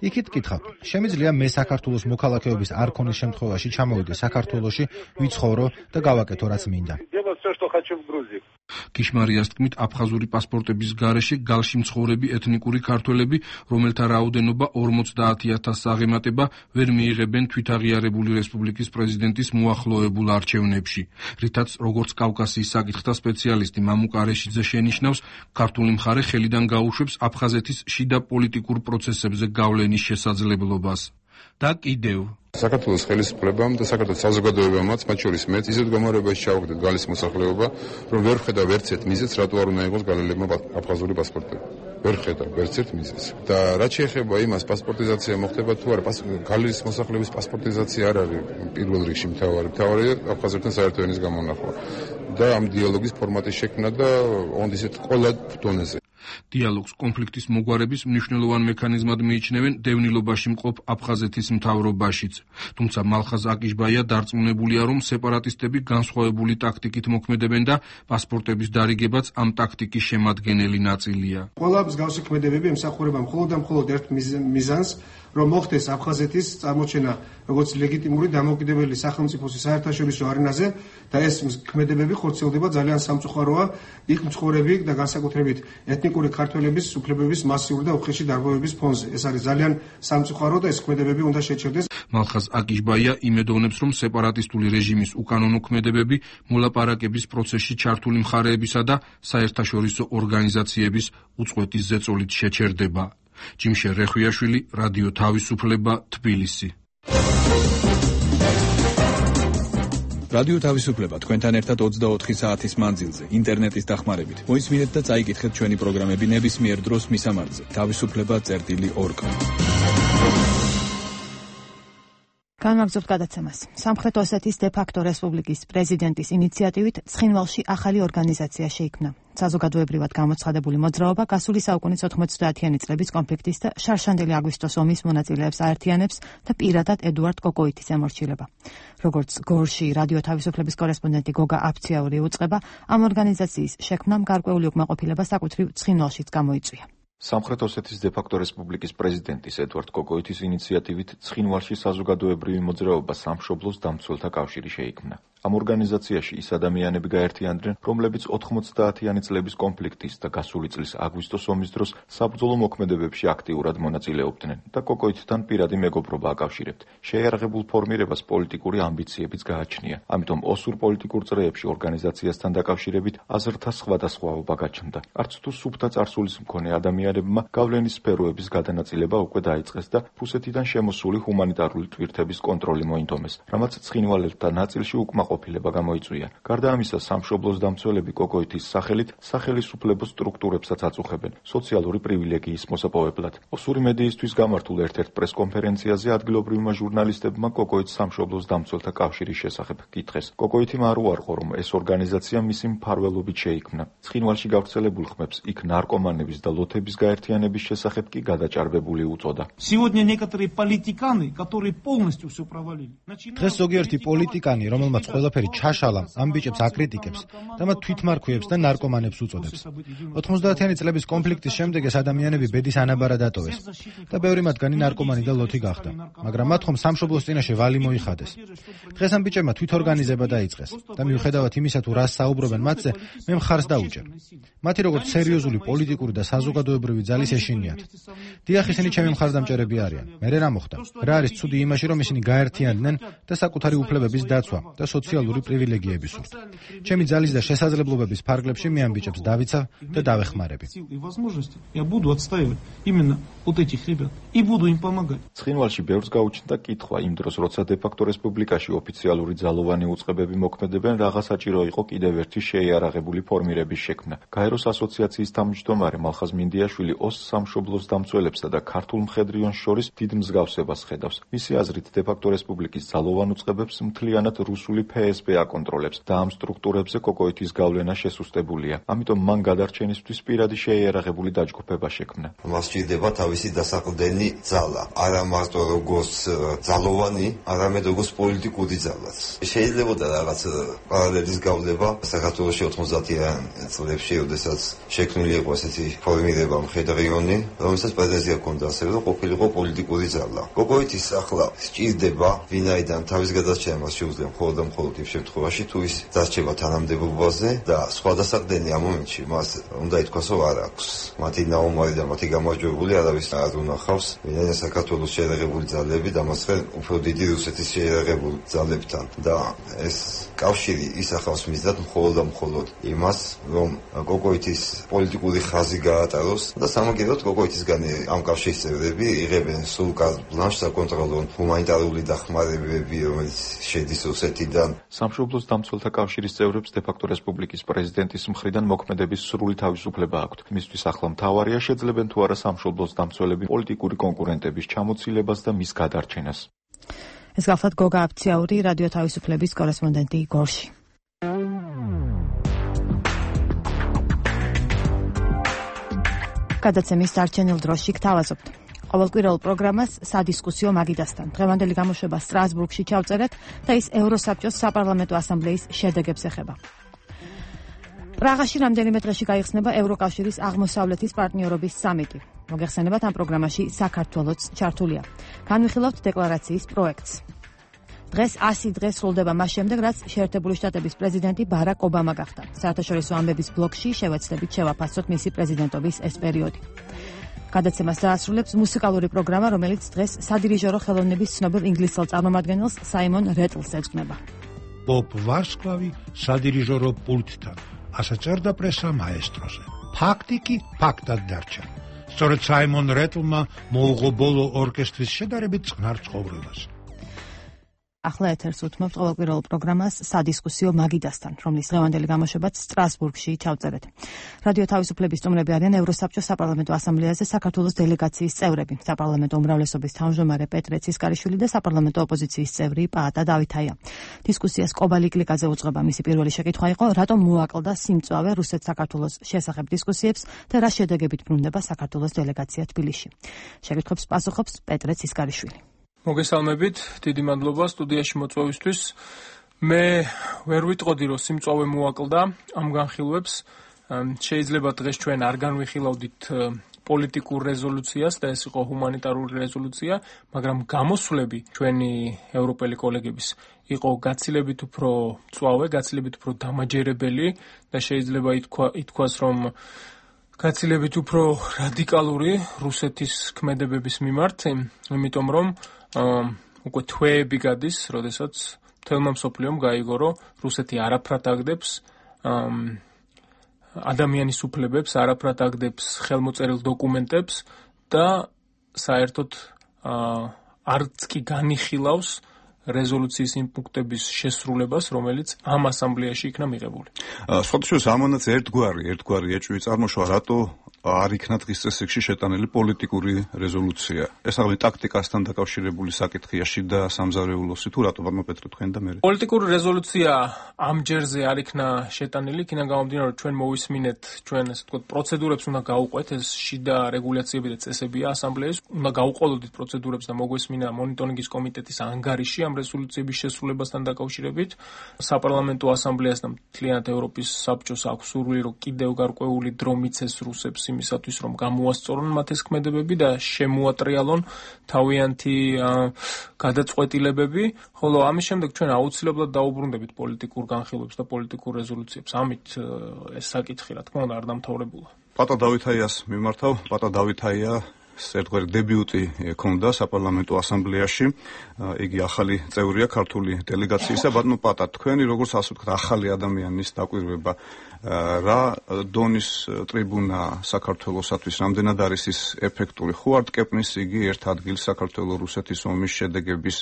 იქით გითხავთ, შემიძლია მე საქართველოს მოქალაქეობის არ ქონის შემთხვევაში ჩამოვიდე საქართველოში, ვიცხოვრო და გავაკეთო რაც მინდა. ქიშმარიას თქმით, აფხაზური პასპორტების გარეშე გალში მცხოვრები ეთნიკური ქართველები, რომელთა რაოდენობა 50,000-ს აღემატება, ვერ მიიღებენ თვითაღიარებული რესპუბლიკის პრეზიდენტის მოახლოებულ არჩევნებში, რითაც როგორც კავკასიის საკითხთა სპეციალისტი მამუკ არეშიძე შენიშნავს, ქართული მხარე ხელიდან გაუშვებს აფხაზეთის შიდა პოლიტიკურ პროცესებზე გავლენის შესაძლებლობას. და კიდევ საქართველოს ხელისუფლებამ და საქართველოს საზოგადოებამაც, მათ შორის მეც, ისეთ გამარებაში ჩავაგდეთ გალის მოსახლეობა, რომ ვერ ხედავ ერთ მიზეზს, რატო არ უნდა იყოს გალელებმა აფხაზური პასპორტები. ვერ ხედავ ერთ მიზეზს. და რაც შეეხება იმას, პასპორტიზაცია მოხდება თუ არა, გალის მოსახლეობის პასპორტიზაცია არ არის პირველ რიგში მთავარია აფხაზებთან საერთო ენის გამონახვა და ამ დიალოგის ფორმატის შექმნა და ოღონდ ისეთ ყველა დონეზე. დიალოგს კონფლიქტის მოგვარების მნიშვნელოვან მექანიზმად მიიჩნევენ დევნილობაში მყოფ აფხაზეთის მთავრობაშიც. თუმცა მალხაზ აკიშბაია დარწმუნებულია, რომ სეპარატისტები განსხვავებული ტაქტიკით მოქმედებენ და პასპორტების დარიგებაც ამ ტაქტიკის შემადგენელი ნაწილია. ყველა მსგავსი ქმედებები ემსახურება მხოლოდ და მხოლოდ ერთ მიზანს, რომ მოხდეს აფხაზეთის წარმოჩენა როგორც ლეგიტიმური დამოუკიდებელი სახელმწიფოს საერთაშორისო არენაზე და ეს ქმედებები ხორციელდება ძალიან სამწუხაროა იქ მცხოვრები და განსაკუთრებით ეთნიკური ქართველების უფლებების მასიური და უხეში დარღვევების ფონზე. ეს არის ძალიან სამწუხარო და ეს ქმედებები უნდა შეჩერდეს. მალხაზ აკიშბაია იმედოვნებს, რომ სეპარატისტული რეჟიმის უკანონო ქმედებები მოლაპარაკების პროცესში ჩართული მხარეებისა და საერთაშორისო ორგანიზაციების უწყვეტის ზეწოლით შეჩერდება. ჯიმშე რეხვიაშვილი, რადიო თავისუფლება, თბილისი. რადიო თავისუფლება თქვენთან ერთად 24 საათის მანძილზე ინტერნეტის დახმარებით. მოისმინეთ და წაიკითხეთ ჩვენი პროგრამები ნებისმიერ დროს მისამართზე. თავისუფლება.org განვაგრძობთ გადაცემას. სამხრეთ ოსეთის დე-ფაქტო რესპუბლიკის პრეზიდენტის ინიციატივით ცხინვალში ახალი ორგანიზაცია შეიქმნა. საზოგადოებრივად გამოცხადებული მოძრაობა გასული საუკუნის 90-იანი წლების კონფლიქტის და შარშანდელი აგვისტოს ომის მონაწილეებს აერთიანებს და პირადად ედუარდ კოკოიტის ემორჩილება. როგორც გორში რადიო თავისუფლების კორესპონდენტი გოგა აფციაური უწყება, ამ ორგანიზაციის შექმნამ გარკვეული უკმაყოფილება საკუთრივ ცხინვალშიც გამოიწვია. სამხრეთ ოსეთის დე-ფაქტო რესპუბლიკის პრეზიდენტის ედუარდ კოკოიტის ინიციატივით ცხინვალში საზოგადოებრივი მოძრაობა სამშობლოს დამცველთა კავშირი შეიქმნა. ამ ორგანიზაციაში ის ადამიანები გაერთიანდნენ, რომლებიც 90-იანი წლების კონფლიქტის და გასული წლის აგვისტოს ომის დროს საბრძოლო მოქმედებებში აქტიურად მონაწილეობდნენ და კოკოიტთან პირადი მეგობრობა აკავშირებთ. შეიარაღებულ ფორმირებას პოლიტიკური ამბიციებიც გააჩნია. ამიტომ ოსურ პოლიტიკურ წრეებში ორგანიზაციასთან დაკავშირებით აზრთა სხვადასხვაობა გაჩნდა. არც თუ სუფთა წარსულის მქონე ადამიანებმა გავლენის სფეროების გადანაწილება უკვე დაიწყეს და რუსეთიდან შემოსული ჰუმანიტარული ტვირთების კონტროლი მოინდომეს, რამაც ცხინვალელთა ნაწილში უკმაყოფილება გამოიწვია. გარდა ამისა, სამშობლოს დამცველები კოკოიტის სახელით სახელისუფლებო სტრუქტურებსაც აწუხებენ სოციალური პრივილეგიის მოსაპოვებლად. ოსური მედიისთვის გამართულ ერთ-ერთ პრესკონფერენციაზე ადგილობრივმა ჟურნალისტებმა კოკოიტის სამშობლოს დამცველთა კავშირის შესახებ კითხეს. კოკოიტიმ არ უარყო, რომ ეს ორგანიზაცია მისი მფარველობით შეიქმნა. ცხინვალში გავრცელებულ ხმებს იქ ნარკომანების და ლოთების გაერთიანების შესახებ კი გადაჭარბებული უწოდა. დღეს ზოგიერთი პოლიტიკანი, რომელმაც ყველაფერი ჩაშალა, ამ ბიჭებს აკრიტიკებს და მათ თვითმარქვეებს და ნარკომანებს უწოდებს. 90-იანი წლების კონფლიქტის შემდეგ ეს ადამიანები ბედის ანაბარად ატოვეს და ბევრი მათგანი ნარკომანი და ლოთი გახდა, მაგრამ მათ ხომ სამშობლოს წინაშე ვალი მოიხადეს. დღეს ამ ბიჭებმა თვითორგანიზება დაიწყეს და მიუხედავად იმისა, თუ რას საუბრობენ მათზე, მე მხარს დაუჭერ. მათი როგორც სერიოზული პოლიტიკური და საზოგადოებრივი ძალის ეშინიათ. დიახ, ისინი ჩემი მხარდამჭერები არიან. მე რა მოხდა? რა არის ცუდი იმაში, რომ ისინი გაერთიანდნენ და საკუთარი უფლებების დაცვა და სოციალური პრივილეგიები სურთ. ჩემი ძალის და შესაძლებლობების ფარგლებში მე ამ ბიჭებს დავიცავ და დავეხმარები. ცხინვალში ბევრს გაუჩნდა კითხვა იმ დროს, როცა დე-ფაქტო რესპუბლიკაში ოფიციალური ძალოვანი უწყებები მოქმედებენ, რაღაცა საჭირო იყო კიდევ ერთი შეიარაღებული ფორმირების შექმნა. გაეროს ასოციაციის თავმჯდომარე მალხაზ მინდიაშვილი ოს სამშობლოს დამცველებსა და ქართულ მხედრიონს შორის დიდ მსგავსებას ხედავს. მისი აზრით, დე-ფაქტო რესპუბლიკის ძალოვან უწყებებს მთლიანად რუსული FSB აკონტროლებს და ამ სტრუქტურებზე კოკოიტის გავლენა შესუსტებულია. ამიტომ მან გადარჩენისთვის პირადი შეიარაღებული დაჯგუფება შექმნა. მას სჭირდება თავისი დასაყრდენი ძალა, არა მარტო როგორც ძალოვანი, არამედ როგორც პოლიტიკური ძალაც. შეიძლება რაღაც პარალელის გავდება საქართველოში 90-იან წლებში, როდესაც შექმნილი იყო ესეთი ფორმირება მხედრიონი, რომელსაც პრეტენზია ჰქონდა ასევე, რომ ყოფილიყო პოლიტიკური ძალა. კოკოიტის ახლა სჭირდება ვინაიდან თავის გადარჩენას შეუძლია მხოლოდ და მხოლოდ იმ შემთხვევაში, თუ ის დარჩება თანამდებობაზე და სხვა დასაყრდენი ამ მომენტში მას უნდა ითქვას, რომ არ აქვს. მათი ნაუმარი და მათი გამარჯვებული არავის არ უნახავს, ვინაიდან საქართველოს შეიარაღებული ძალები დამასხენ უფრო დიდი რუსეთის შეიარაღებულ ძალებთან და ეს კავშირი ისახავს მიზნად მხოლოდ და მხოლოდ იმას, რომ კოკოიტის პოლიტიკური ხაზი გაატაროს და სამაგიეროდ კოკოიტისგან ამ კავშირის წევრები იღებენ სულ კარტ ბლანშს საკონტროლონ ჰუმანიტარული დახმარებები, რომელიც შედის რუსეთიდან. სამშობლოს დამცველთა კავშირის წევრებს დე-ფაქტო რესპუბლიკის პრეზიდენტის მხრიდან მოქმედების სრული თავისუფლება აქვთ. მისთვის ახლა მთავარია შეძლებენ თუ არა სამშობლოს დამცველები პოლიტიკური კონკურენტების ჩამოცილებას და მის გადარჩენას. ეს გახლავთ გოგა აფციაური, რადიო თავისუფლების კორესპონდენტი გორში. გადაცემის დარჩენილ დროში გთავაზობთ. ყოველკვირეულ პროგრამას სადისკუსიო მაგიდასთან. დღევანდელი გამოშვება სტრასბურგში ჩავწერეთ და ის ევროსაბჭოს საპარლამენტო ასამბლეის შედეგებს ეხება. პრაღაში რამდენიმე დღეში გაიხსნება ევროკავშირის აღმოსავლეთის პარტნიორობის სამიტი. მოგეხსენებათ, ამ პროგრამაში საქართველოც ჩართულია. განვიხილავთ დეკლარაციის პროექტს. დღეს 100 დღე სრულდება მას შემდეგ, რაც შეერთებული შტატების პრეზიდენტი ბარაკ ობამა გახდა. საერთაშორისო ამბების ბლოკში შევეცდებით შევაფასოთ მისი პრეზიდენტობის ეს პერიოდი. გადაცემას დაასრულებს მუსიკალური პროგრამა, რომელიც დღეს სადირიჟორო ხელოვნების ცნობილ ინგლისელ წარმომადგენელს საიმონ რეტლს ეძღვნება. ბობ ვარსკლავი სადირიჟორო პულტთან, ასე წერდა პრესა მაესტროზე. ფაქტი კი ფაქტად დარჩა. სწორედ საიმონ რეტლმა მოუღო ბოლო ორკესტრის შედარებით წყნარ ცხოვრებას. ახლა ეთერს უთმობთ ყოველკვირეულ პროგრამას სადისკუსიო მაგიდასთან, რომლის დღევანდელი გამოშვებაც სტრასბურგში ჩავწერეთ. რადიო თავისუფლების სტუმრები არიან ევროსაბჭოს საპარლამენტო ასამბლეაზე საქართველოს დელეგაციის წევრები, საპარლამენტო უმრავლესობის თავმჯდომარე პეტრე ცისკარიშვილი და საპარლამენტო ოპოზიციის წევრი პაატა დავითაია. დისკუსიას კობალი კლიკაზე უძღვება. მისი პირველი შეკითხვა იყო, რატომ მოაკლდა სიმწვავე რუსეთ-საქართველოს შესახებ დისკუსიებს და რა შედეგებით ბრუნდება საქართველოს დელეგაცია თბილისში. შეკითხვებს პასუხობს პეტრე ცისკარიშვილი. მოგესალმებით, დიდი მადლობა სტუდიაში მოწვევისთვის. მე ვერ ვიტყოდი, რომ სიმწვავე მოაკლდა ამ განხილვებს. შეიძლება დღეს ჩვენ არ განვიხილავდით პოლიტიკურ რეზოლუციას და ეს იყო ჰუმანიტარული რეზოლუცია, მაგრამ გამოსვლები ჩვენი ევროპელი კოლეგების იყო გაცილებით უფრო მწვავე, გაცილებით უფრო დამაჯერებელი და შეიძლება ითქვას, რომ გაცილებით უფრო რადიკალური რუსეთის ქმედებების მიმართ, იმიტომ რომ უკვე თვეები გადის, როდესაც მთელმა მსოფლიომ გაიგო, რომ რუსეთი არაფრად აგდებს ადამიანის უფლებებს, არაფრად აგდებს ხელმოწერილ დოკუმენტებს და საერთოდ არც კი განიხილავს რეზოლუციის იმ პუნქტების შესრულებას, რომელიც ამ ასამბლეაში იქნა მიღებული. სხვადასხვა ამანაც ერთგვარი ეჭვი წარმოშვა, რატო არ იქნა დღის წესრიგში შეტანილი პოლიტიკური რეზოლუცია. ეს აღარ ტაქტიკასთან დაკავშირებული საკითხია, შიდა სამზარეულოსი თუ რატო ბატონო პეტრე თქვენ და მე. პოლიტიკური რეზოლუცია ამ ჯერზე არ იქნა შეტანილი, იქიდან გამომდინარე, რომ ჩვენ მოვისმინეთ, ჩვენ ასე ვთქვათ, პროცედურებს უნდა გავუყვეთ, ეს შიდა რეგულაციები და წესებია ასამბლეის, უნდა გავუყოლოდით პროცედურებს და მოგვესმინა მონიტორინგის კომიტეტის ანგარიში ამ რეზოლუციების შესრულებასთან დაკავშირებით. საპარლამენტო ასამბლეას და მთლიანად ევროპის საბჭოს აქვს სურვილი, რომ კიდევ გარკვეული დრო მიცეს რუსებს იმისათვის, რომ გამოასწორონ მათ ეს ქმედებები და შემოატრიალონ თავიანთი გადაწყვეტილებები, ხოლო ამის შემდეგ ჩვენ აუცილებლად დაუბრუნდებით პოლიტიკურ განხილვებს და პოლიტიკურ რეზოლუციებს. ამით ეს საკითხი, რა თქმა უნდა, არ დამთავრებულა. პატა დავითაიას მიმართავ, პატა დავითაია ერთგვარი დებიუტი ქონდა საპარლამენტო ასამბლეაში. იგი ახალი წევრია ქართული დელეგაციისა. ბატონო პატა, თქვენი როგორც ასე ვთქვათ, ახალი ადამიანის დაკვირვება რა დონის ტრიბუნა საქართველოსათვის რამდენად არის ის ეფექტური? ხო არ ტკეპნის იგი ერთ ადგილს საქართველო-რუსეთის ომის შედეგების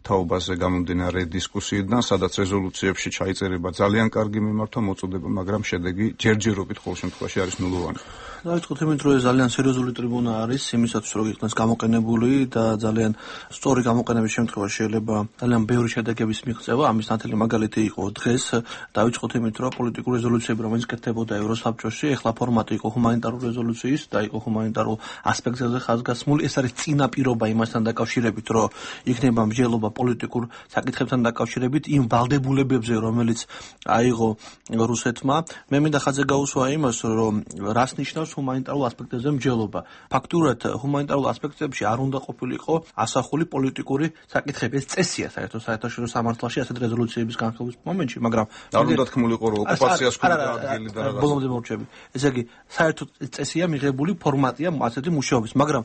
თაობაზე გამომდინარე დისკუსიიდან, სადაც რეზოლუციებში ჩაიწერება ძალიან კარგი მიმართვა მოწოდება, მაგრამ შედეგი ჯერჯერობით ყოველ შემთხვევაში არის ნულოვანი. დავიწყოთ იმით, რომ ეს ძალიან სერიოზული ტრიბუნა არის იმისათვის, რომ იქნას გამოყენებული და ძალიან სწორი გამოყენების შემთხვევაში შეიძლება ძალიან ბევრი შედეგების მიღწევა. ამის ნათელი მაგალითი იყო დღეს. დავიწყოთ იმით, რომ პოლიტიკური რეზოლუციები, რომელიც კეთდებოდა ევროსაბჭოში, ეხლა ფორმატი იყო ჰუმანიტარული რეზოლუციის და იყო ჰუმანიტარულ ასპექტებზე ხაზგასმული. ეს არის წინაპირობა იმასთან დაკავშირებით, რომ იქნება მსჯელობა პოლიტიკურ საკითხებთან დაკავშირებით იმ ვალდებულებებზე, რომელიც აიღო რუსეთმა. მე მინდა ხაზზე გაუსვა იმას, რომ რას ნიშნავს ჰუმანიტარულ ასპექტებზე მსჯელობა. ფაქტურად ჰუმანიტარულ ასპექტებში არ უნდა ყოფილიყო ასახული პოლიტიკური საკითხები. ეს წესია საერთოდ საერთაშორისო სამართალში ასეთ რეზოლუციების განხილვის მომენტში, მაგრამ არ უნდა თქმულიყო, რომ ოკუპაციას ქონდა ადგილი და რაღაც. ბოლომდე მოვჩები. ესე იგი, საერთოდ წესია მიღებული ფორმატია ასეთი მუშაობის, მაგრამ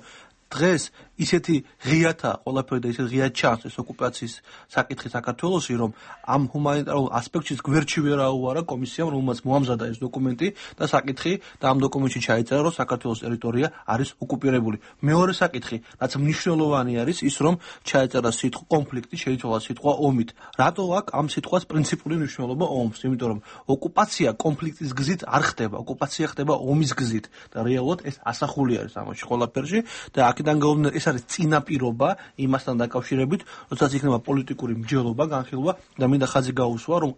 დღეს ისეთი ღიათა ყველაფერი და ისეთი ღიად ჩანს ეს ოკუპაციის საკითხი საქართველოში, რომ ამ ჰუმანიტარულ ასპექტში გვერდში ვერ აუარა კომისიამ, რომელმაც მოამზადა ეს დოკუმენტი და საკითხი და ამ დოკუმენტში ჩაიწერა, რომ საქართველოს ტერიტორია არის ოკუპირებული. მეორე საკითხი, რაც მნიშვნელოვანი არის, ის რომ ჩაიწერა სიტყვა კონფლიქტი, შეიცვალა სიტყვა ომით. რატო აქვს ამ სიტყვას პრინციპული მნიშვნელობა ომს? იმიტომ რომ ოკუპაცია კონფლიქტის გზით არ ხდება, ოკუპაცია ხდება ომის გზით და რეალურად ეს ასახული არის ამაში ყველაფერში და აქედან გამომდინარე ეს არის წინაპირობა იმასთან დაკავშირებით, როდესაც იქნება პოლიტიკური მსჯელობა, განხილვა და მინდა ხაზი გაუსვა, რომ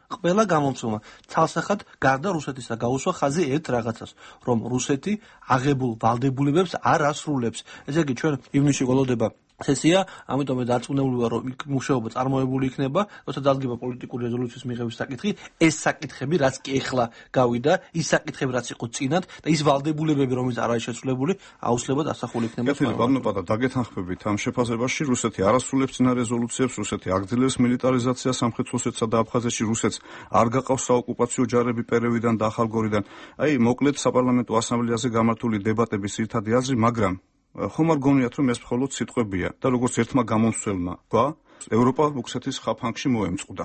ყველა გამომცემლმა ცალსახად გარდა რუსეთისა გაუსვა ხაზი ერთ რაღაცას, რომ რუსეთი აღებულ ვალდებულებებს არ ასრულებს. ესე იგი, ჩვენ ივნისში გველოდება სესია, ამიტომ დარწმუნებული ვარ, რომ მუშაობა წარმოებული იქნება, როცა დადგება პოლიტიკური რეზოლუციის მიღების საკითხი, ეს საკითხები, რაც კი ეხლა გავიდა, ის საკითხები, რაც იყო წინათ და ის ვალდებულებები, რომელიც არ არის შესრულებული, აუცილებლად ასახული იქნება. ბატონო პატა, დაგეთანხმებით ამ შეფასებაში, რუსეთი არ ასრულებს წინა რეზოლუციებს, რუსეთი აგრძელებს მილიტარიზაციას სამხრეთ ოსეთსა და აფხაზეთში, რუსეთს არ გაყავს საოკუპაციო ჯარები პერევიდან და ახალგორიდან. აი, მოკლედ საპარლამენტო ასამბლეაზე გამართული დებატების ერთადი აზრი, მაგრამ ხომ არ გონიათ, რომ ეს მხოლოდ სიტყვებია და როგორც ერთმა გამომცემლმა გვა ევროპა რუსეთის ხაფანგში მოემწყდა.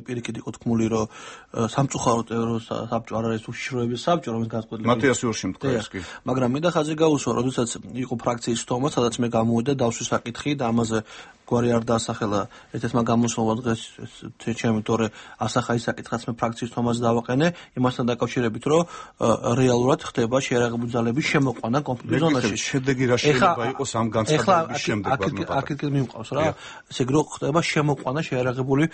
პირიქით იყო თქმული, რომ სამწუხაროდ ევროსაბჭო არ არის უშიშროების საბჭო, რომელიც განსხვავებული. მათიას იორში თქვა ეს კი. მაგრამ მინდა ხაზი გაუსვა, როდესაც იყო ფრაქციის თომა, სადაც მე გამოვიდა დავსვის საკითხი და ამაზე გვარი არ დაასახელა ერთ-ერთმა გამოსვლა დღეს ჩემი თორე ასახა ის საკითხაც მე ფრაქციის თომაზე დავაყენე იმასთან დაკავშირებით რომ რეალურად ხდება შეიარაღებული ძალების შემოყვანა კონფლიქტის ზონაში. შედეგი რა შეიძლება იყოს ამ განცხადების შემდეგ აქ მიმყავს რა ესე იგი რომ ხდება შემოყვანა შეიარაღებული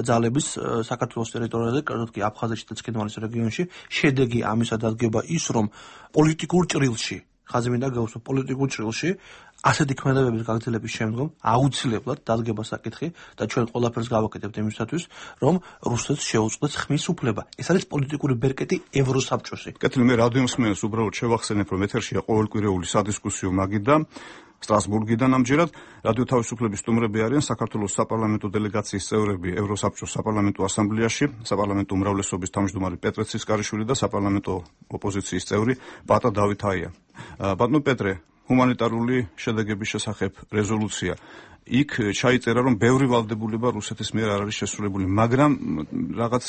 ძალების საქართველოს ტერიტორიაზე, კერძოდ კი აფხაზეთში და ცხინვალის რეგიონში. შედეგი ამისა დადგება ის, რომ პოლიტიკურ ჭრილში, ხაზი მინდა გავუსვა, პოლიტიკურ ჭრილში ასეთი ქმედებების გაგრძელების შემდგომ აუცილებლად დადგება საკითხი და ჩვენ ყველაფერს გავაკეთებთ იმისათვის, რომ რუსეთს შეუწყდეს ხმის უფლება. ეს არის პოლიტიკური ბერკეტი ევროსაბჭოსი. კეთილი, მე რადიო მსმენელს უბრალოდ შევახსენებ, რომ ეთერშია ყოველკვირეული სადისკუსიო მაგიდა სტრასბურგიდან ამჯერად რადიო თავისუფლების სტუმრები არიან საქართველოს საპარლამენტო დელეგაციის წევრები ევროსაბჭოს საპარლამენტო ასამბლეაში, საპარლამენტო უმრავლესობის თავმჯდომარე პეტრე ცისკარიშვილი და საპარლამენტო ოპოზიციის წევრი პატა დავითაია. ბატონო პეტრე, ჰუმანიტარული შედეგების შესახებ რეზოლუცია. იქ ჩაიწერა, რომ ბევრი ვალდებულება რუსეთის მიერ არ არის შესრულებული, მაგრამ რაღაც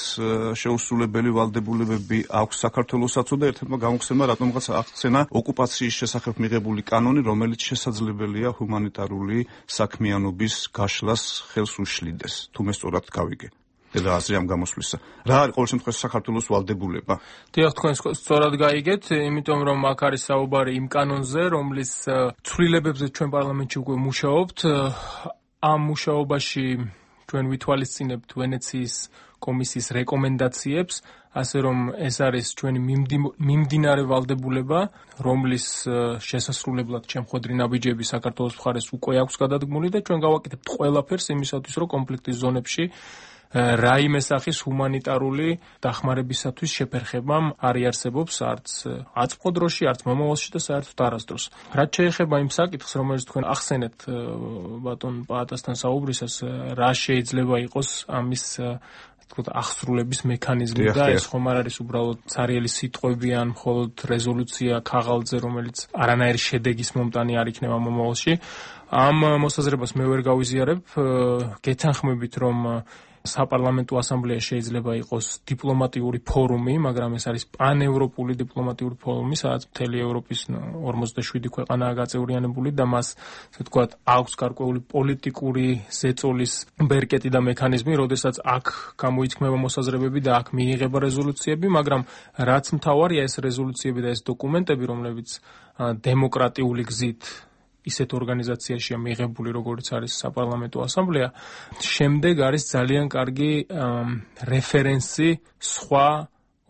შეუსრულებელი ვალდებულებები აქვს საქართველოსაც და ერთ-ერთმა გამოგხსენებმა რატომღაც აღხსენა ოკუპაციის შესახებ მიღებული კანონი, რომელიც შესაძლებელია ჰუმანიტარული საქმიანობის გაშლას ხელს უშლიდეს. თუ მე სწორად გავიგე. და აზრი ამ გამოსვლისა. რა არის ყოველ შემთხვევაში საქართველოს ვალდებულება? დიახ, თქვენ სწორად გაიგეთ, იმიტომ რომ აქ არის საუბარი იმ კანონზე, რომლის ცვლილებებზე ჩვენ პარლამენტში უკვე მუშაობთ. ამ მუშაობაში ჩვენ ვითვალისწინებთ ვენეციის კომისიის რეკომენდაციებს, ასე რომ ეს არის ჩვენი მიმდინარე ვალდებულება, რომლის შესასრულებლად ჩემხვედრი ნაბიჯები საქართველოს მხარეს უკვე აქვს გადადგმული და ჩვენ გავაკეთებთ ყველაფერს იმისათვის, რომ კონფლიქტის ზონებში რაიმე სახის ჰუმანიტარული დახმარებისათვის შეფერხებამ არ იარსებობს არც აწმყო დროში, არც მომავალში და საერთოდ არასდროს. რაც შეეხება იმ საკითხს, რომელიც თქვენ ახსენეთ ბატონ პაატასთან საუბრისას, რა შეიძლება იყოს ამის აღსრულების მექანიზმი და ეს ხომ არ არის უბრალოდ ცარიელი სიტყვები ან მხოლოდ რეზოლუცია ქაღალდზე, რომელიც არანაირი შედეგის მომტანი არ იქნება მომავალში. ამ მოსაზრებას მე ვერ გავიზიარებ, გეთანხმებით, რომ საპარლამენტო ასამბლეა შეიძლება იყოს დიპლომატიური ფორუმი, მაგრამ ეს არის პანევროპული დიპლომატიური ფორუმი, სადაც მთელი ევროპის 47 ქვეყანაა გაწევრიანებული და მას, ასე ვთქვათ, აქვს გარკვეული პოლიტიკური ზეწოლის ბერკეტი და მექანიზმი, როდესაც აქ გამოიწმება მოსაზრებები და აქ მიიღება რეზოლუციები, მაგრამ რაც მთავარია ეს რეზოლუციები და ეს დოკუმენტები, რომლებიც დემოკრატიული გზით ისეთ ორგანიზაციაშია მიღებული, როგორც არის საპარლამენტო ასამბლეა, შემდეგ არის ძალიან კარგი რეფერენსი სხვა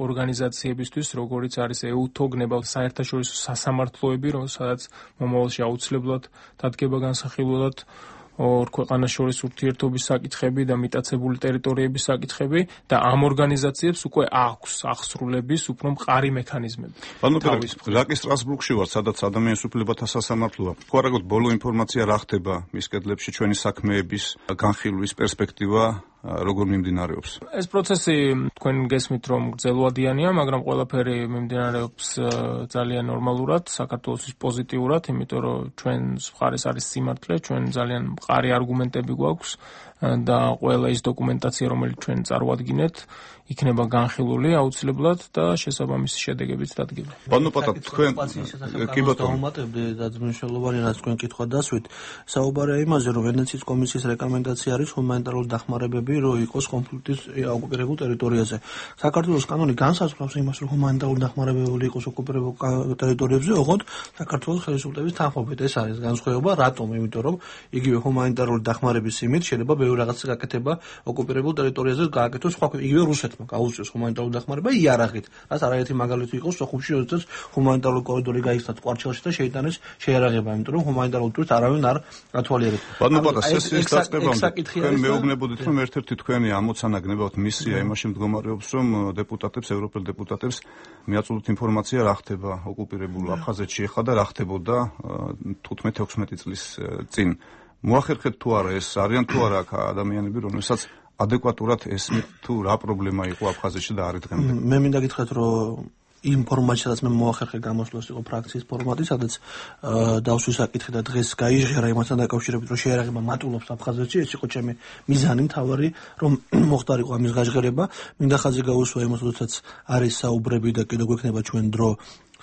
ორგანიზაციებისთვის, როგორც არის EUTO, გნებავ საერთაშორისო სასამართლოები, სადაც მომავალში აუცილებლად დადგება განსახილველად ორ ქვეყანას შორის ურთიერთობის საკითხები და მიტაცებული ტერიტორიების საკითხები და ამ ორგანიზაციებს უკვე აქვს აღსრულების უფრო მყარი მექანიზმები. ბატონო პეტრე, რაკი სტრასბურგში ვარ, სადაც ადამიანის უფლებათა სასამართლოა. თუ არ აქვს ბოლო ინფორმაცია რა ხდება მის კედლებში ჩვენი საქმეების განხილვის პერსპექტივა როგორ მიმდინარეობს? ეს პროცესი თქვენ გესმით, რომ გრძელვადიანია, მაგრამ ყველაფერი მიმდინარეობს ძალიან ნორმალურად, საქართველოსთვის პოზიტიურად, იმიტომ რომ ჩვენს მხარეს არის სიმართლე, ჩვენ ძალიან მყარი არგუმენტები გვაქვს და ყველა ის დოკუმენტაცია, რომელიც ჩვენ წარვადგინეთ, იქნება განხილული აუცილებლად და შესაბამისი შედეგებიც დადგება. ბატონო პატა, თქვენ კი ბატონო დავუმატებდი და მნიშვნელოვანი რაც თქვენ კითხვა დასვით, საუბარია იმაზე, რომ ვენეციის კომისიის რეკომენდაცია არის ჰუმანიტარული დახმარებები, რომ იყოს კონფლიქტის ოკუპირებულ ტერიტორიაზე. საქართველოს კანონი განსაზღვრავს იმას, რომ ჰუმანიტარული დახმარებები იყოს ოკუპირებულ ტერიტორიებზე, ოღონდ საქართველოს ხელისუფლების თანხმობით. ეს არის განსხვავება, რატომ? იმიტომ რომ იგივე ჰუმანიტარული დახმარების იმით შეიძლება ბევრი რაღაცა გაკეთება ოკუპირებულ ტერიტორიაზე, გააკეთოს სხვა იგივე რუსეთმა გაუწიოს ჰუმანიტარული დახმარება იარაღით. რაც არაერთი მაგალითი იყო სოხუმში, როდესაც ჰუმანიტარული კორიდორი გაიხსნა კვარჩელში და შეიტანეს შეიარაღება, იმიტომ რომ ჰუმანიტარულ ტურს არავინ არ ათვალიერებს. ბატონო პატა, სესიის დაწყებამდე თქვენ მეუბნებოდით, რომ ერთ-ერთი თქვენი ამოცანა გნებავთ მისია იმაში მდგომარეობს, რომ დეპუტატებს, ევროპელ დეპუტატებს მიაწოდოთ ინფორმაცია რა ხდება ოკუპირებულ აფხაზეთში ახლა და რა ხდებოდა 15-16 წლის წინ. მოახერხეთ თუ არა ეს არიან თუ არა აქ ადამიანები, რომელსაც ადეკვატურად ესმით თუ რა პრობლემა იყო აფხაზეთში და არის დღემდე. მე მინდა გითხრათ, რომ ინფორმაციას მე მოახერხე გამოსვლას იყო ფრაქციის ფორმატი, სადაც დავსვი საკითხი და დღეს გაიჟღერა იმასთან დაკავშირებით, რომ შეიარაღება მატულობს აფხაზეთში, ეს იყო ჩემი მიზანი მთავარი, რომ მოხდარიყო ამის გაჟღერება. მინდა ხაზი გაუსვა იმას, როდესაც არის საუბრები და კიდევ გვექნება ჩვენ დრო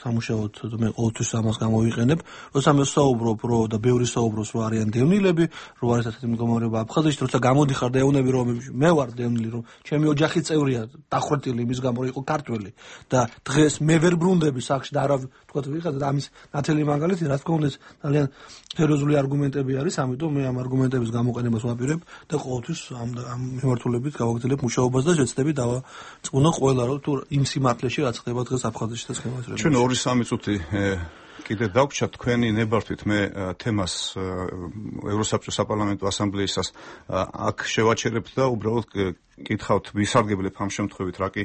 სამუშაოდ მე ყოველთვის ამას გამოვიყენებ. როცა მე ვსაუბრობ, რომ და ბევრი საუბრობს, რომ არიან დევნილები, რომ არის ასეთი მდგომარეობა აფხაზეთში, როცა გამოდიხარ და ეუბნები, რომ მე ვარ დევნილი, რომ ჩემი ოჯახი წევრია დახრეტილი იმის გამო, რომ იყო ქართველი და დღეს მე ვერ ბრუნდები სახში და არა თქვა ვიღაცა და ამის ნათელი მაგალითი, რა თქმა უნდა, ძალიან სერიოზული არგუმენტები არის, ამიტომ მე ამ არგუმენტების გამოყენებას ვაპირებ და ყოველთვის ამ მიმართულებით გავაგრძელებ მუშაობას და შეცდები დავაწყუნო ყველა რომ თუ იმ სიმართლეში რაც ხდება დღეს აფხაზეთში და სქემაზე. ჩვენ 2-3 წუთი კიდე დავგჩათ თქვენი ნებართვით მე თემას ევროსაბჭოს საპარლამენტო ასამბლეისას აქ შევაჩერებთ და უბრალოდ კითხავთ ვისარგებლებ ამ შემთხვევით რა კი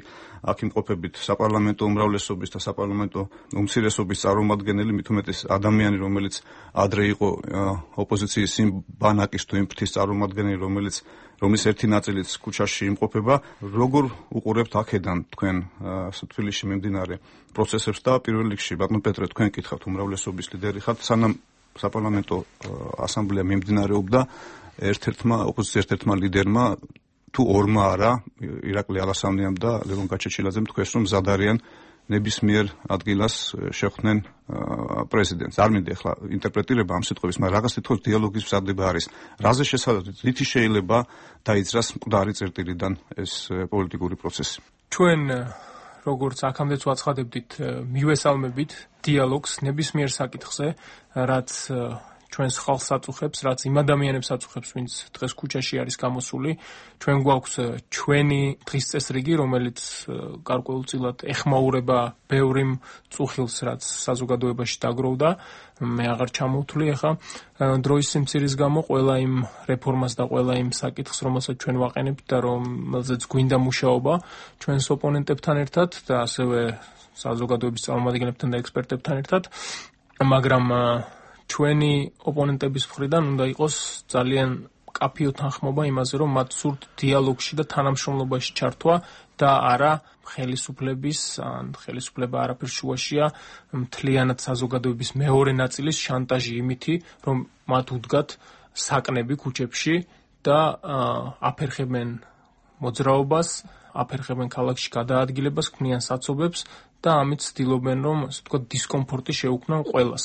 აქ იმყოფებით საპარლამენტო უმრავლესობის და საპარლამენტო უმცირესობის წარმომადგენელი მით უმეტეს ადამიანი რომელიც ადრე იყო ოპოზიციის იმ ბანაკის თუ იმ ფრთის წარმომადგენელი რომლის ერთი ნაწილიც ქუჩაში იმყოფება როგორ უყურებთ აქედან თქვენ თბილისში მიმდინარე პროცესებს და პირველ რიგში ბატონო პეტრე თქვენ კითხავთ უმრავლესობის ლიდერი ხართ სანამ საპარლამენტო ასამბლეა მიმდინარეობდა ერთ-ერთმა ლიდერმა თუ ორმა არა ირაკლი ალასამნიამ და ლევონ გაჩეჩილაძემ თქვენს რომ მზად არიან ნებისმიერ ადგილას შეხვდნენ პრეზიდენტს. არ მინდა ახლა ინტერპრეტირება ამ სიტყვების, მაგრამ რაღაც თვითონ დიალოგის მზადება არის. რაზე შესაძლოა რითი შეიძლება დაიძრას მკვდარი წერტილიდან ეს პოლიტიკური პროცესი? ჩვენ როგორც აქამდეც ვაცხადებდით, მივესალმებით დიალოგს ნებისმიერ საკითხზე, რაც ჩვენს ხალხს აწუხებს, რაც იმ ადამიანებს აწუხებს, ვინც დღეს ქუჩაში არის გამოსული. ჩვენ გვაქვს ჩვენი დღის წესრიგი, რომელიც გარკვეულწილად ეხმაურება ბევრი მწუხილს, რაც საზოგადოებაში დაგროვდა. მე აღარ ჩამოვთვლი ახლა დროის სიმცირის გამო ყველა იმ რეფორმას და ყველა იმ საკითხს, რომელსაც ჩვენ ვაყენებთ და რომელზეც გვინდა მუშაობა ჩვენს ოპონენტებთან ერთად და ასევე საზოგადოების წარმომადგენლებთან და ექსპერტებთან ერთად, მაგრამ ჩვენი ოპონენტების მხრიდან უნდა იყოს ძალიან კაფიო თანხმობა იმაზე, რომ მათ სურთ დიალოგში და თანამშრომლობაში ჩართვა და არა ხელისუფლების ან ხელისუფლება არაფერ შუაშია მთლიანად საზოგადოების მეორე ნაწილის შანტაჟი იმითი, რომ მათ უდგათ საკნები ქუჩებში და აფერხებენ მოძრაობას, აფერხებენ ქალაქში გადაადგილებას, ქმნიან საცობებს და ამით ცდილობენ, რომ ასე ვთქვათ, დისკომფორტი შეუქმნან ყველას.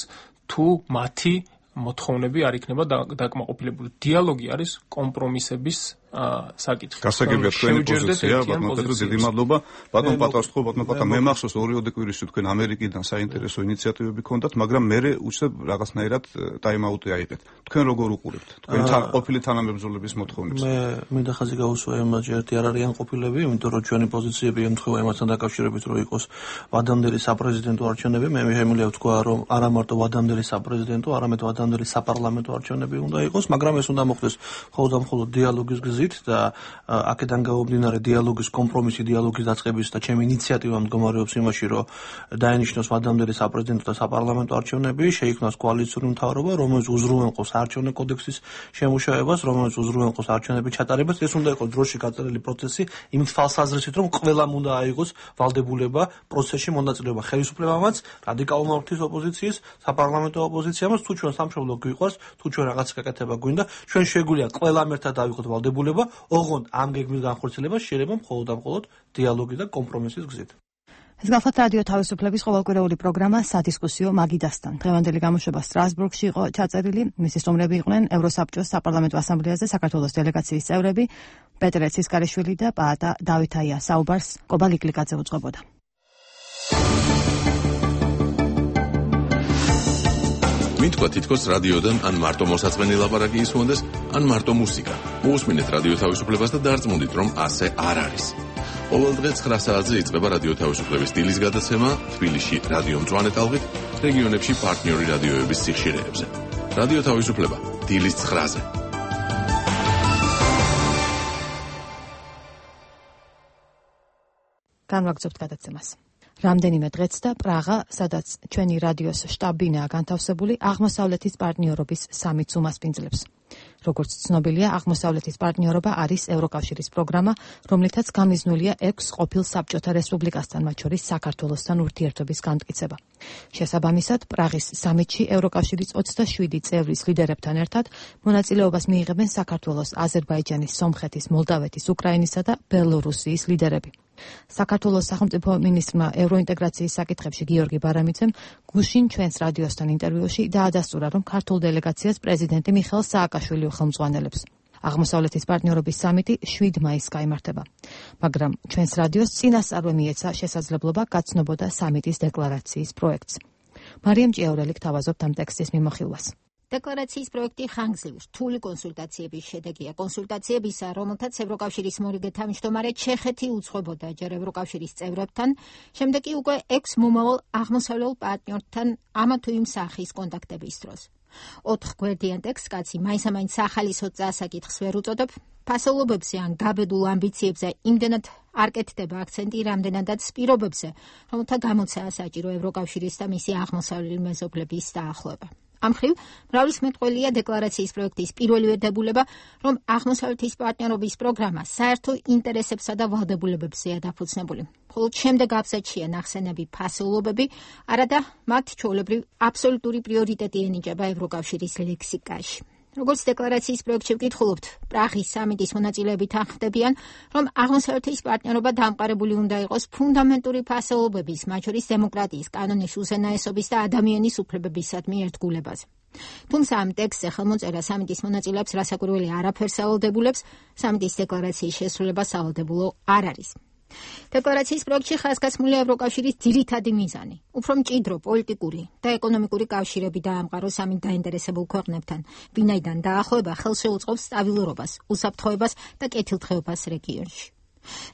თუ მათი მოთხოვნები არ იქნება დაკმაყოფილებული. დიალოგი არის კომპრომისების საკითხი. გასაგებია თქვენი პოზიცია, ბატონო პეტრე, დიდი მადლობა. ბატონ პატარსხო, ბატონო პატა, მე მახსოვს 2 კვირაში თქვენ ამერიკიდან საინტერესო ინიციატივები გქონდათ, მაგრამ მე უცებ რაღაცნაირად ტაიმ-აუტი აიღეთ. თქვენ როგორ უყურებთ? თქვენ ყოფილი თანამებრძოლების მოთხოვნებს? მე მინდა ხაზი გავუსვა იმაზე, ერთი არ არიან ყოფილები, იმიტომ რომ ჩვენი პოზიციები ემთხვევა იმასთან დაკავშირებით, რომ იყოს ვადამდელი საპრეზიდენტო არჩევნები. მე შემიძლია ვთქვა, რომ არა მარტო ვადამდელი საპრეზიდენტო, არამედ ვადამდელი საპარლამენტო არჩევნები უნდა იყოს, მაგრამ ეს უნდა მოხდეს მხოლოდ დიალოგის და აქედან გამომდინარე დიალოგის კომპრომისი, დიალოგის დაწყების და ჩემი ინიციატივა მდგომარეობს იმაში, რომ დაენიშნოს ვადამდელი საპრეზიდენტო და საპარლამენტო არჩევნები, შეიქმნას კოალიციური მთავრობა, რომელიც უზრუნველყოფს არჩევნო კოდექსის შემუშავებას, რომელიც უზრუნველყოფს არჩევნების ჩატარებას. ეს უნდა იყოს დროში გაწერილი პროცესი, იმ თვალსაზრისით, რომ ყველამ უნდა აიღოს ვალდებულება პროცესში მონაწილეობა, ხელისუფლებამაც, რადიკალურმა ღვთის ოპოზიციის, საპარლამენტო ოპოზიციამაც, თუ ჩვენ სამშობლო გვიყვარს, თუ ჩვენ რაღაც გაკეთება გვინდა, ჩვენ შეგვიძლია ყველამ ერთად დავიღოთ ვალდებულება, ოღონდ ამ გეგმის განხორციელებას შეიძლება მხოლოდ დიალოგი და კომპრომისის გზით. ეს გახლავთ რადიო თავისუფლების ყოველკვირეული პროგრამა სადისკუსიო მაგიდასთან. დღევანდელი გამოშვება სტრასბურგში იყო ჩაწერილი. მისი სტუმრები იყვნენ ევროსაბჭოს საპარლამენტო ასამბლეაზე საქართველოს დელეგაციის წევრები პეტრე ცისკარიშვილი და პაატა დავითაია. საუბარს კობა ლიკლიკაძე უძღვებოდა. მითქვა თითქოს რადიოდან ან მარტო მოსაწყენი ლაპარაკი ისმონდეს, ან მარტო მუსიკა. მოусმინეთ რადიო თავისუფლებას და დარწმუნდით, რომ ასე არ არის. ყოველ დღე 9 საათზე იწყება რადიო თავისუფლების დილის გადაცემა თბილისში რადიო მწვანე ტალღით, რეგიონებში პარტნიორი რადიოების სიხშირეებზე. რადიო თავისუფლება დილის 9-ზე. განვაგრძობთ გადაცემას. რამდენიმე დღეც და პრაღა, სადაც ჩვენი რადიოს შტაბ-ბინაა განთავსებული, აღმოსავლეთის პარტნიორობის სამიტს უმასპინძლებს. როგორც ცნობილია, აღმოსავლეთის პარტნიორობა არის ევროკავშირის პროგრამა, რომლითაც გამიზნულია 6 ყოფილ საბჭოთა რესპუბლიკასთან, მათ შორის საქართველოსთან ურთიერთობის განმტკიცება. შესაბამისად, პრაღის სამიტში ევროკავშირის 27 წევრის ლიდერებთან ერთად მონაწილეობას მიიღებენ საქართველოს, აზერბაიჯანის, სომხეთის, მოლდავეთის, უკრაინისა და ბელორუსიის ლიდერები. საქართველოს სახელმწიფო მინისტრმა ევროინტეგრაციის საკითხებში გიორგი ბარამიძემ გუშინ ჩვენს რადიოსთან ინტერვიუში დაადასტურა, რომ ქართულ დელეგაციას პრეზიდენტი მიხეილ სააკაშვილი ხელმძღვანელებს. აღმოსავლეთის პარტნიორობის სამიტი 7 მაისს გაიმართება. მაგრამ ჩვენს რადიოს წინასწარვე მიეცა შესაძლებლობა გაცნობოდა სამიტის დეკლარაციის პროექტს. მარიამ ჭიაურელი გთავაზობთ ამ ტექსტის მიმოხილვას. დეკლარაციის პროექტი ხანგრძლივი რთული კონსულტაციების შედეგია. კონსულტაციებისა, რომელთაც ევროკავშირის მორიგე თავმჯდომარე ჩეხეთი უძღვებოდა ჯერ ევროკავშირის წევრებთან, შემდეგ კი უკვე 6 მომავალ აღმოსავლელ პარტნიორთან ამა თუ იმ სახის კონტაქტების დროს. 4 გვერდიან ტექსტს კაცი მაინც-ამაინც სახალისო წასაკითხს ვერ უწოდებ, ფასეულობებზე ან გაბედულ ამბიციებზე იმდენად არ კეთდება აქცენტი, რამდენადაც პირობებზე, რომელთა გამოცაა საჭირო ევროკავშირის და მისი აღმოსავლელი მეზობლების დაახლოება. ამ მხრივ, მრავალისმეტყველია დეკლარაციის პროექტის პირველი დებულება, რომ აღმოსავლეთის პარტნიორობის პროგრამა საერთო ინტერესებსა და ვალდებულებებზეა დაფუძნებული. მხოლოდ შემდეგ აბზაცშია ნახსენები ფასეულობები, არადა მათ ჩვეულებრივ აბსოლუტური პრიორიტეტი ენიჭება ევროკავშირის ლექსიკაში. როგორც დეკლარაციის პროექტში ვკითხულობთ, პრაღის სამიტის მონაწილეები თანხმდებიან, რომ აღმოსავლეთის პარტნიორობა დამყარებული უნდა იყოს ფუნდამენტური ფასეულობების, მათ შორის დემოკრატიის, კანონის უზენაესობის და ადამიანის უფლებებისადმი ერთგულებაზე. თუმცა ამ ტექსტზე ხელმოწერა სამიტის მონაწილეებს რასაკვირველი არაფერს ავალდებულებს, სამიტის დეკლარაციის შესრულება სავალდებულო არ არის. დეკლარაციის პროექტში ხაზგასმულია ევროკავშირის ძირითადი მიზანი, უფრო მჭიდრო პოლიტიკური და ეკონომიკური კავშირები დაამყაროს ამით დაინტერესებულ ქვეყნებთან, ვინაიდან დაახლოება ხელს შეუწყობს სტაბილურობას, უსაფრთხოებას და კეთილდღეობას რეგიონში.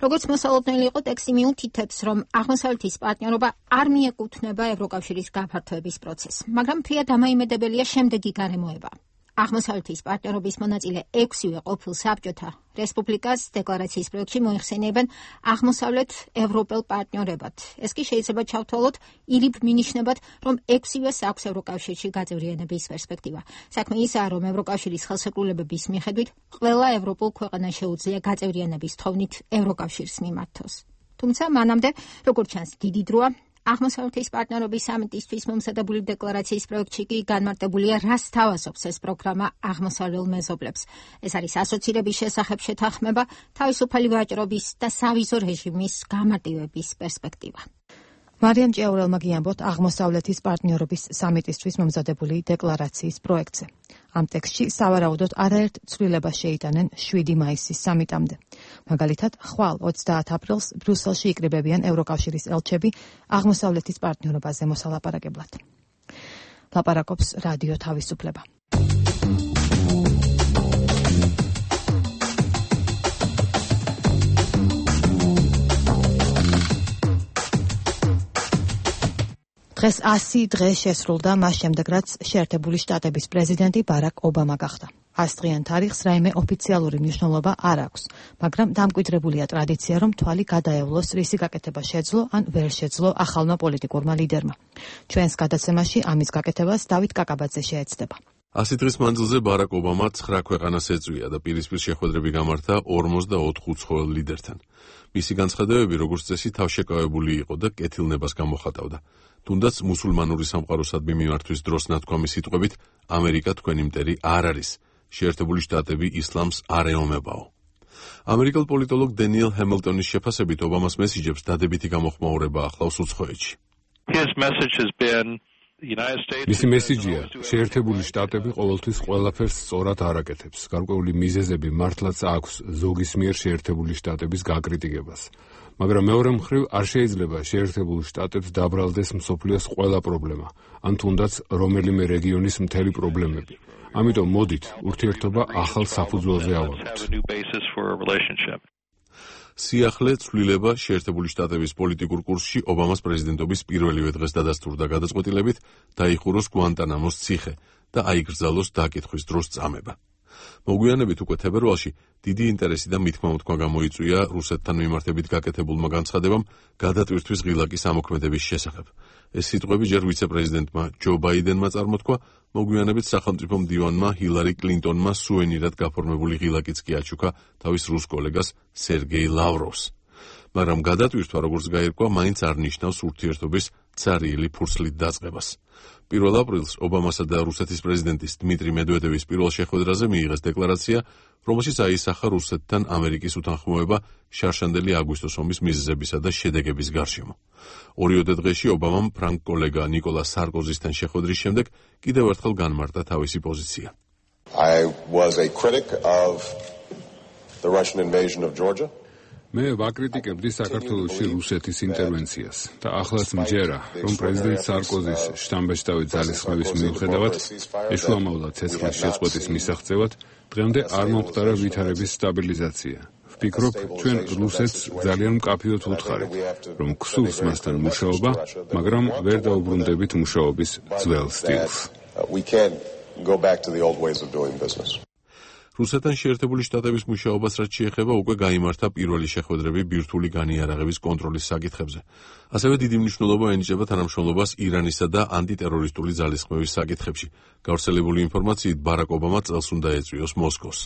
როგორც მოსალოდნელი იყო, ტექსტი მიუთითებს, რომ აღმოსავლეთის პარტნიორობა არ მიეკუთვნება ევროკავშირის გაფართოების პროცესს, მაგრამ ფრიად დამაიმედებელია შემდეგი გარემოება. აღმოსავლეთის პარტნიორობის მონაწილე 6-ვე ყოფილ საბჭოთა რესპუბლიკას დეკლარაციის პროექტში მოიხსენიებენ აღმოსავლეთ ევროპელ პარტნიორებად. ეს კი შეიძლება ჩავთვალოთ ირიბ მინიშნებად, რომ 6-ვეს აქვს ევროკავშირში გაწევრიანების პერსპექტივა. საქმე ისაა, რომ ევროკავშირის ხელშეკრულებების მიხედვით ყველა ევროპულ ქვეყანას შეუძლია გაწევრიანების თხოვნით ევროკავშირს მიმართოს. თუმცა მანამდე, როგორც ჩანს, დიდი დროა აღმოსავლეთის პარტნიორობის სამიტისთვის მომზადებული დეკლარაციის პროექტში კი განმარტებულია, რას თავაზობს ეს პროგრამა აღმოსავლელ მეზობლებს. ეს არის ასოცირების შესახებ შეთანხმება, თავისუფალი ვაჭრობის და სავიზო რეჟიმის გამარტივების პერსპექტივა. მარიამ ჭიაურელმა გიამბოთ აღმოსავლეთის პარტნიორობის სამიტისთვის მომზადებული დეკლარაციის პროექტზე. ამ ტექსტში სავარაუდოდ არაერთ ცვლილებას შეიტანენ 7 მაისის სამიტამდე. მაგალითად, ხვალ 30 აპრილს ბრიუსელში იკრიბებიან ევროკავშირის ელჩები აღმოსავლეთის პარტნიორობაზე მოსალაპარაკებლად. ლაპარაკობს რადიო თავისუფლება. დღეს 100 დღე შესრულდა მას შემდეგ, რაც შეერთებული შტატების პრეზიდენტი ბარაკ ობამა გახდა. 100 დღიან თარიღს რაიმე ოფიციალური მნიშვნელობა არ აქვს, მაგრამ დამკვიდრებულია ტრადიცია, რომ თვალი გადაევლოს რისი გაკეთება შეძლო ან ვერ შეძლო ახალმა პოლიტიკურმა ლიდერმა. ჩვენს გადაცემაში ამის გაკეთებას დავით კაკაბაძე შეეცდება. 100 დღის მანძილზე ბარაკ ობამა 9 ქვეყანას ეწვია და პირისპირ შეხვედრები გამართა 44 უცხოელ ლიდერთან. მისი განცხადებები, როგორც წესი, თავშეკავებული იყო და კეთილნებას გამოხატავდა. თუნდაც მუსულმანური სამყაროსადმი მიმართვის დროს ნათქვამი სიტყვებით, ამერიკა თქვენი მტერი არ არის. შეერთებული შტატები ისლამს არ ეომებაო. ამერიკელ პოლიტოლოგ დენიელ ჰემილტონის შეფასებით, ობამას მესიჯებს დადებითი გამოხმაურება ახლავს უცხოეთში. მისი მესიჯია, შეერთებული შტატები ყოველთვის ყველაფერს სწორად არ აკეთებს. გარკვეული მიზეზები მართლაც აქვს ზოგის მიერ შეერთებული შტატების გაკრიტიკებას. მაგრამ მეორე მხრივ არ შეიძლება შეერთებულ შტატებს დაბრალდეს მსოფლიოს ყველა პრობლემა, ან თუნდაც რომელიმე რეგიონის მთელი პრობლემები. ამიტომ მოდით, ურთიერთობა ახალ საფუძველზე ავალოთ. სიახლე ცვლილება შეერთებული შტატების პოლიტიკურ კურსში ობამას პრეზიდენტობის პირველივე დღეს დადასტურდა გადაწყვეტილებით დაიხუროს გვანტანამოს ციხე და აიგრძალოს დაკითხვის დროს წამება. მოგვიანებით უკვე თებერვალში დიდი ინტერესი და მითქმა-მოთქმა გამოიწვია რუსეთთან მიმართებით გაკეთებულმა განცხადებამ გადატვირთვის ღილაკის ამოქმედების შესახებ. ეს სიტყვები ჯერ ვიცე-პრეზიდენტმა ჯო ბაიდენმა წარმოთქვა, მოგვიანებით სახელმწიფო მდივანმა ჰილარი კლინტონმა სუვენირად გაფორმებული ღილაკიც კი აჩუქა თავის რუს კოლეგას სერგეი ლავროვს. მაგრამ გადატვირთვა, როგორც გაირკვა, მაინც არ ნიშნავს ურთიერთობის ცარიელი ფურცლით დაწყებას. 1 აპრილს ობამასა და რუსეთის პრეზიდენტის დმიტრი მედვედევის პირველ შეხვედრაზე მიიღეს დეკლარაცია, რომელშიც აისახა რუსეთთან ამერიკის უთანხმოება შარშანდელი აგვისტოს ომის მიზეზებისა და შედეგების გარშემო. 2 დღეში ობამამ ფრანგ კოლეგა ნიკოლა სარკოზისთან შეხვედრის შემდეგ კიდევ ერთხელ განმარტა თავისი პოზიცია. I was a critic of the Russian invasion of Georgia. მე ვაკრიტიკებდი საქართველოში რუსეთის ინტერვენციას და ახლაც მჯერა, რომ პრეზიდენტ სარკოზის შთამბეჭდავი ძალისხმევის მიუხედავად ეშუამოვლა ცეცხლის შეწყვეტის მისაღწევად დღემდე არ მომხდარა ვითარების სტაბილიზაცია. ვფიქრობ, ჩვენ რუსეთს ძალიან მკაფიოდ ვუთხარით, რომ გსურს მასთან მუშაობა, მაგრამ ვერ დაუბრუნდებით მუშაობის ძველ სტილს. We can't go back to the old ways of doing business. რუსეთთან შეერთებული შტატების მუშაობას რაც შეეხება უკვე გაიმართა პირველი შეხვედრები ბირთვული განიარაღების კონტროლის საკითხებზე. ასევე დიდი მნიშვნელობა ენიჭება თანამშრომლობას ირანისა და ანტიტერორისტული ძალისხმევის საკითხებში. გავრცელებული ინფორმაციით ბარაკ ობამა წელს უნდა ეწვიოს მოსკოვს.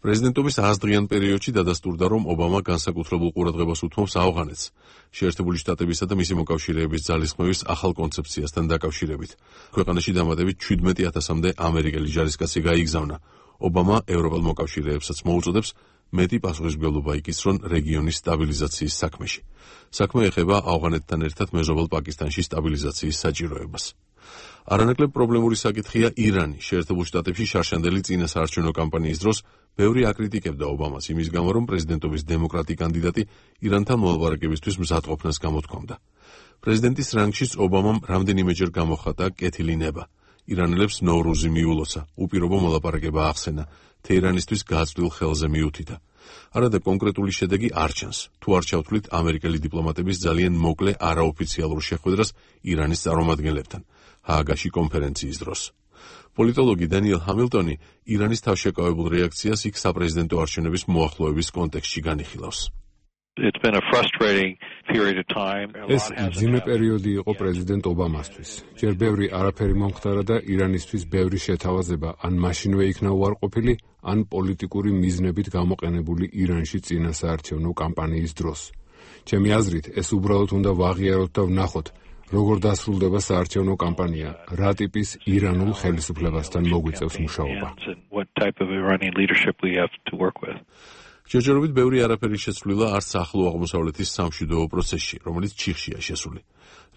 პრეზიდენტობის 100-დღიან პერიოდში დადასტურდა, რომ ობამა განსაკუთრებულ ყურადღებას უთმობს ავღანეთს, შეერთებული შტატებისა და მისი მოკავშირეების ძალისხმევის ახალ კონცეფციასთან დაკავშირებით. ქვეყანაში დამატებით 17,000-მდე ამერიკელი ჯარისკაცი გაიგზავნა. ობამა ევროპელ მოკავშირეებსაც მოუწოდებს მეტი პასუხისმგებლობა იკისრონ რეგიონის სტაბილიზაციის საქმეში. საქმე ეხება ავღანეთთან ერთად მეზობელ პაკისტანში სტაბილიზაციის საჭიროებას. არანაკლებ პრობლემური საკითხია ირანი. შეერთებულ შტატებში შარშანდელი წინასაარჩევნო კამპანიის დროს ბევრი აკრიტიკებდა ობამას იმის გამო, რომ პრეზიდენტობის დემოკრატი კანდიდატი ირანთან მოლაპარაკებისთვის მზადყოფნას გამოთქვამდა. პრეზიდენტის რანგშიც ობამამ რამდენიმეჯერ გამოხატა კეთილი ნება. ირანელებს ნოვრუზი მიულოცა, უპირობო მოლაპარაკება ახსენა, თეირანისთვის გაწვდილ ხელზე მიუთითა. არადა კონკრეტული შედეგი არ ჩანს. თუ არ ჩავთვლით ამერიკელი დიპლომატების ძალიან მოკლე არაოფიციალურ შეხვედრას ირანის წარმომადგენლებთან, ჰააგაში კონფერენციის დროს. პოლიტოლოგი დანიელ ჰამილტონი ირანის თავშეკავებულ რეაქციას იქ საპრეზიდენტო არჩევნების მოახლოების კონტექსტში განიხილავს. It's been a frustrating period of time. ეს მძიმე პერიოდი იყო პრეზიდენტ ობამასთვის. ჯერ ბევრი არაფერი მომხდარა და ირანისთვის ბევრი შეთავაზება ან მაშინვე იქნა უარყოფილი, ან პოლიტიკური მიზნებით გამოყენებული ირანში წინასაარჩევნო კამპანიის დროს. ჩემი აზრით, ეს უბრალოდ უნდა ვაღიაროთ და ვნახოთ, როგორ დასრულდება საარჩევნო კამპანია, რა ტიპის ირანულ ხელისუფლებასთან მოგვიწევს მუშაობა. ჯერჯერობით ბევრი არაფერი შეცვლილა არც ახლო აღმოსავლეთის სამშვიდობო პროცესში, რომელიც ჩიხშია შესული.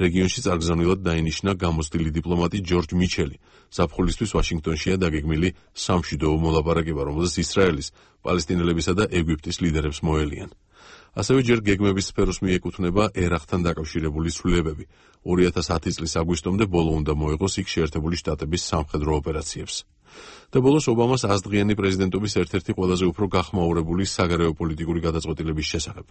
რეგიონში წარგზავნილად დაინიშნა გამოცდილი დიპლომატი ჯორჯ მიჩელი. ზაფხულისთვის ვაშინგტონშია დაგეგმილი სამშვიდობო მოლაპარაკება, რომელზეც ისრაელის, პალესტინელებისა და ეგვიპტის ლიდერებს მოელიან. ასევე ჯერ გეგმების სფეროს მიეკუთვნება ერაყთან დაკავშირებული ცვლილებები. 2010 წლის აგვისტომდე ბოლო უნდა მოეღოს იქ შეერთებული შტატების სამხედრო ოპერაციებს. და ბოლოს ობამას 100-დღიანი პრეზიდენტობის ერთ-ერთი ყველაზე უფრო გახმაურებული საგარეო პოლიტიკური გადაწყვეტილების შესახებ.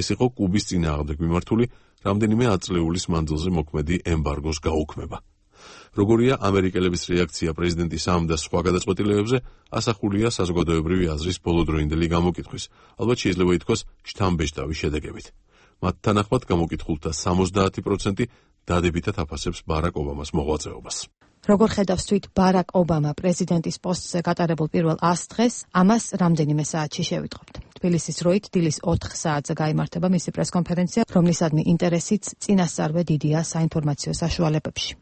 ეს იყო კუბის წინააღმდეგ მიმართული რამდენიმე ათწლეულის მანძილზე მოქმედი ემბარგოს გაუქმება. როგორია ამერიკელების რეაქცია პრეზიდენტის ამ და სხვა გადაწყვეტილებებზე, ასახულია საზოგადოებრივი აზრის ბოლოდროინდელი გამოკითხვის, ალბათ შეიძლება ითქვას შთამბეჭდავი შედეგებით. მათ თანახმად გამოკითხულთა 70% დადებითად აფასებს ბარაკ ობამას მოღვაწეობას. როგორ ხედავს თვით ბარაკ ობამა პრეზიდენტის პოსტზე გატარებულ პირველ 100 დღეს, ამას რამდენიმე საათში შევიტყობთ. თბილისის დროით დილის 4 საათზე გაიმართება მისი პრესკონფერენცია, რომლისადმი ინტერესიც წინასწარვე დიდია საინფორმაციო საშუალებებში.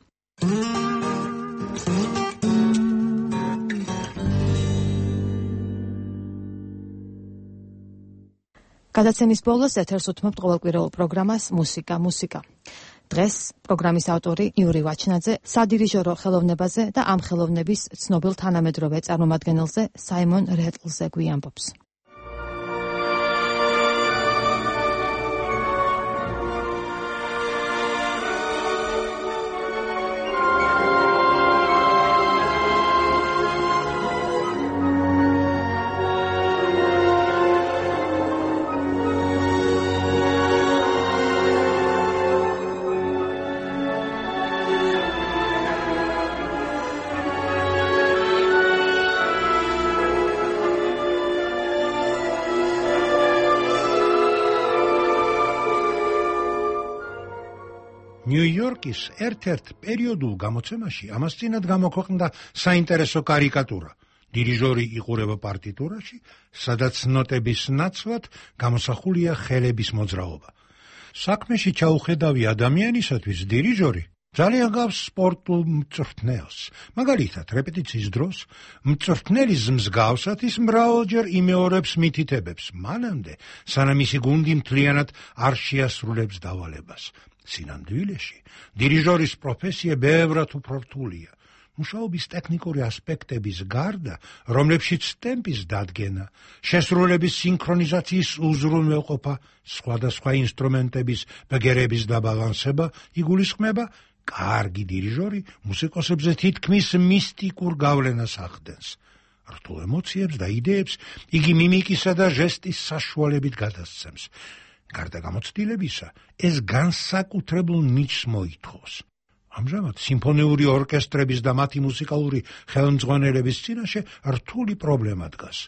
გადაცემის ბოლოს ეთერს უთმობთ ყოველკვირეულ პროგრამას მუსიკა. დღეს პროგრამის ავტორი იური ვაჩნაძე სადირიჟორო ხელოვნებაზე და ამ ხელოვნების ცნობილ თანამედროვე წარმომადგენელზე საიმონ რეტლზე გვიამბობს. ნიუ-იორკის ერთ-ერთ პერიოდულ გამოცემაში ამას წინათ გამოქვეყნდა საინტერესო კარიკატურა. დირიჟორი იყურება პარტიტურაში, სადაც ნოტების ნაცვლად გამოსახულია ხელების მოძრაობა. საქმეში ჩაუხედავი ადამიანისათვის დირიჟორი ძალიან გავს სპორტულ მწვრთნელს. მაგალითად, რეპეტიციის დროს მწვრთნელის მსგავსად ის მრავალჯერ იმეორებს მითითებებს, მანამდე, სანამ ისი გუნდი მთლიანად არ შეასრულებს დავალებას. სინამდვილეში, დირიჟორის პროფესია ბევრად უფრო რთულია. მუშაობის ტექნიკური ასპექტების გარდა, რომლებშიც ტემპის დადგენა, შესრულების სინქრონიზაციის უზრუნველყოფა, სხვადასხვა ინსტრუმენტების ბგერების დაბალანსება იგულისხმება, კარგი დირიჟორი მუსიკოსებზე თითქმის მისტიკურ გავლენას ახდენს. რთულ ემოციებს და იდეებს იგი მიმიკისა და ჟესტის საშუალებით გადასცემს. გარდა გამოცდილებისა, ეს განსაკუთრებულ ნიჭს მოითხოვს. ამჟამად სიმფონიური ორკესტრების და მათი მუსიკალური ხელმძღვანელების წინაშე რთული პრობლემა დგას.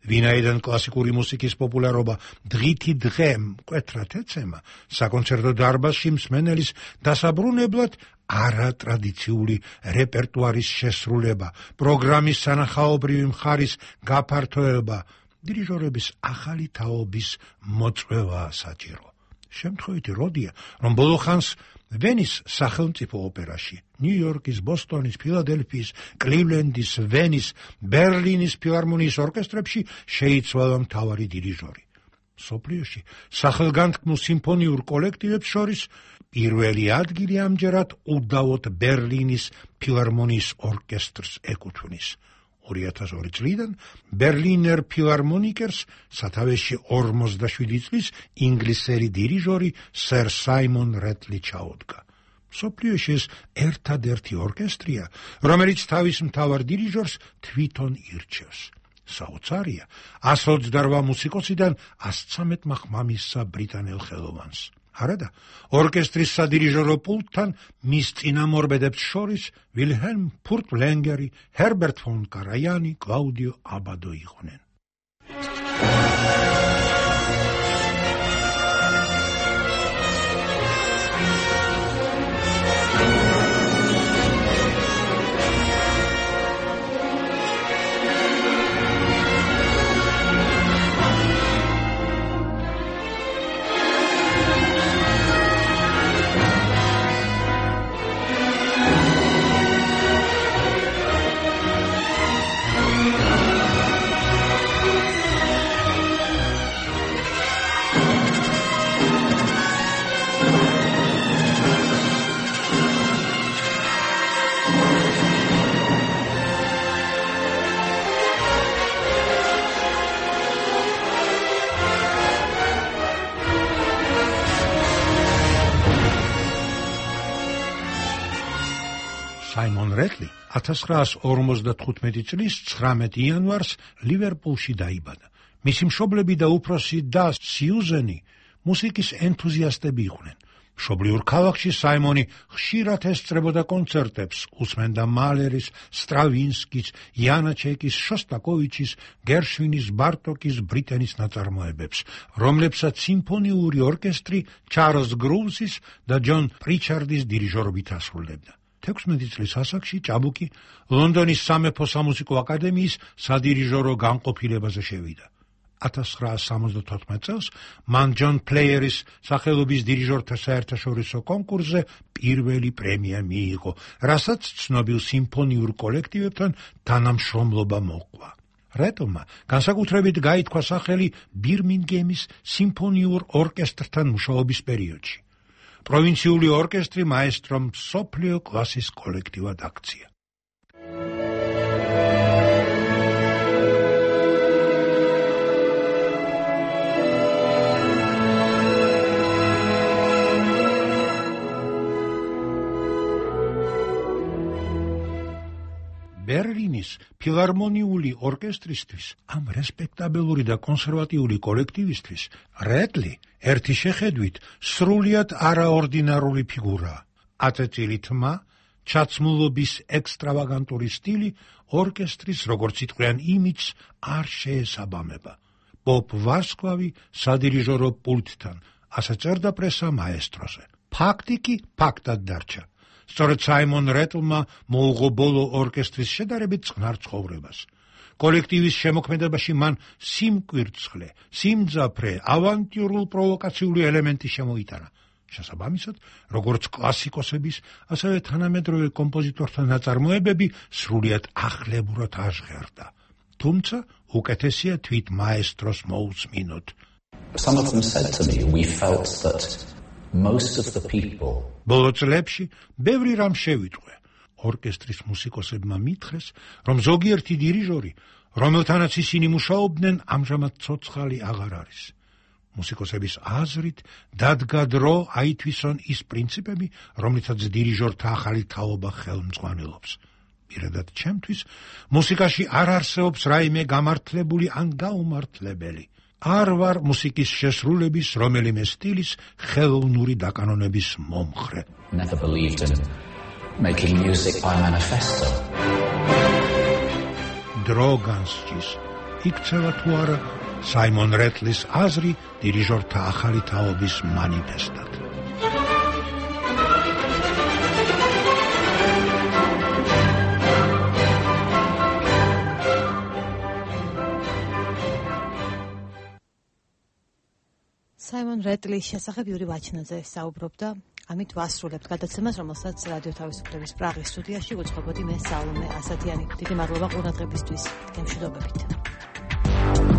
ვინაიდან კლასიკური მუსიკის პოპულარობა დღითი დღე მკვეთრად ეცემა, საკონცერტო დარბაზში მსმენელის დასაბრუნებლად არატრადიციული რეპერტუარის შესრულება, პროგრამის სანახაობრივი მხარის გაფართოება, დირიჟორების ახალი თაობის მოწვევაა საჭირო. შემთხვევითი როდია, რომ ბოლო ხანს ვენის სახელმწიფო ოპერაში, ნიუ-იორკის, ბოსტონის, ფილადელფიის, კლივლენდის, ვენის, ბერლინის ფილარმონიის ორკესტრებში შეიცვალა მთავარი დირიჟორი. მსოფლიოში სახელგანთქმულ სიმფონიურ კოლექტივებს შორის პირველი ადგილი ამჯერად უდავოდ ბერლინის ფილარმონიის ორკესტრს ეკუთვნის. 2002 წლიდან ბერლინერ ფილარმონიკერს სათავეში 47 წლის ინგლისელი დირიჟორი სერ საიმონ რეტლი ჩაუდგა. მსოფლიოში ეს ერთადერთი ორკესტრია, რომელიც თავის მთავარ დირიჟორს თვითონ ირჩევს. საოცარია 128 მუსიკოსიდან 113 ხმამისსა ბრიტანელ ხელოვანს. არადა, ორკესტრის სადირიჟორო პულტთან მის წინამორბედებს შორის ვილჰელმ ფურტლენგერი, ჰერბერტ ფონ კარაიანი, კლაუდიო აბადო იყვნენ. საიმონ რეტლი 1955 წლის 19 იანვარს ლივერპულში დაიბადა. მისი მშობლები და უფროსი და სიუზენი მუსიკის ენთუზიასტები იყვნენ. მშობლიურ ქალაქში საიმონი ხშირად ესწრებოდა კონცერტებს, უსმენდა მალერის, სტრავინსკის, იანაჩეკის, შოსტაკოვიჩის, გერშვინის, ბარტოკის, ბრიტენის ნაწარმოებებს, რომლებსაც სიმფონიური ორკესტრი ჩარლზ გრუვსის და ჯონ პრიჩარდის დირიჟორობით ასრულებდა. 16 წლის ასაკში ჭაბუკი ლონდონის სამეფო სამუსიკო აკადემიის სადირიჟორო განყოფილებაზე შევიდა. 1974 წელს მან ჯონ პლეიერის სახელობის დირიჟორთა საერთაშორისო კონკურსზე პირველი პრემია მიიღო, რასაც ცნობილ სიმფონიურ კოლექტივებთან თანამშრომლობა მოჰყვა. რეტლმა განსაკუთრებით გაითქვა სახელი ბირმინგემის სიმფონიურ ორკესტრთან მუშაობის პერიოდში. პროვინციული ორკესტრი მაესტრომ მსოფლიო კლასის კოლექტივად აქცია. ბერლინის ფილარმონიული ორკესტრისთვის, ამ რესპექტაბელური და კონსერვატიული კოლექტივისთვის, რეტლი ერთი შეხედვით სრულიად არაორდინარული ფიგურაა. აწეწილი თმა, ჩაცმულობის ექსტრავაგანტური სტილი ორკესტრის როგორც იტყვიან იმიჯს არ შეესაბამება. პოპ ვარსკვლავი სადირიჟორო პულტთან, ასე წერდა პრესა მაესტროზე. ფაქტი კი ფაქტად დარჩა. სწორედ საიმონ რეტლმა მოუღო ბოლო ორკესტრის შედარებით წყნარ ცხოვრებას. კოლექტივის შემოქმედებაში მან სიმკვირცხლე, სიმძაფრე, ავანტიურულ პროვოკაციული ელემენტი შემოიტანა. შესაბამისად, როგორც კლასიკოსების, ასევე თანამედროვე კომპოზიტორთა ნაწარმოებები სრულიად ახლებურად აღღერდა. თუმცა უკეთესია თვით მაესტროს მოусმინოთ. Some of them said to me, we felt that most of the people ბოლო წლებში ბევრი რამ შევიტყვე. ორკესტრის მუსიკოსებმა მითხრეს, რომ ზოგიერთი დირიჟორი, რომელთანაც ისინი მუშაობდნენ, ამჟამად ცოცხალი აღარ არის. მუსიკოსების აზრით დადგა დრო აითვისონ ის პრინციპები, რომლითაც დირიჟორთა ახალი თაობა ხელმძღვანელობს. პირადად ჩემთვის, მუსიკაში არ არსებობს რაიმე გამართლებული ან გაუმართლებელი. არ ვარ მუსიკის შესრულების რომელიმე სტილის ხელოვნური დაკანონების მომხრე. never believed in making music by manifesto. დრო განსჯის. იქცევა თუ არა საიმონ რეტლის აზრი დირიჟორთა ახალი თაობის მანიფესტად. საიმონ რეტლის შესახებ იური ვაჩნაძე საუბრობდა. ამით ვასრულებთ გადაცემას, რომელსაც რადიო თავისუფლების პრაღის სტუდიაში გუძღვებოდი მე სალომე ასათიანი. დიდი მადლობა ყურადღებისთვის. გემშვიდობებით.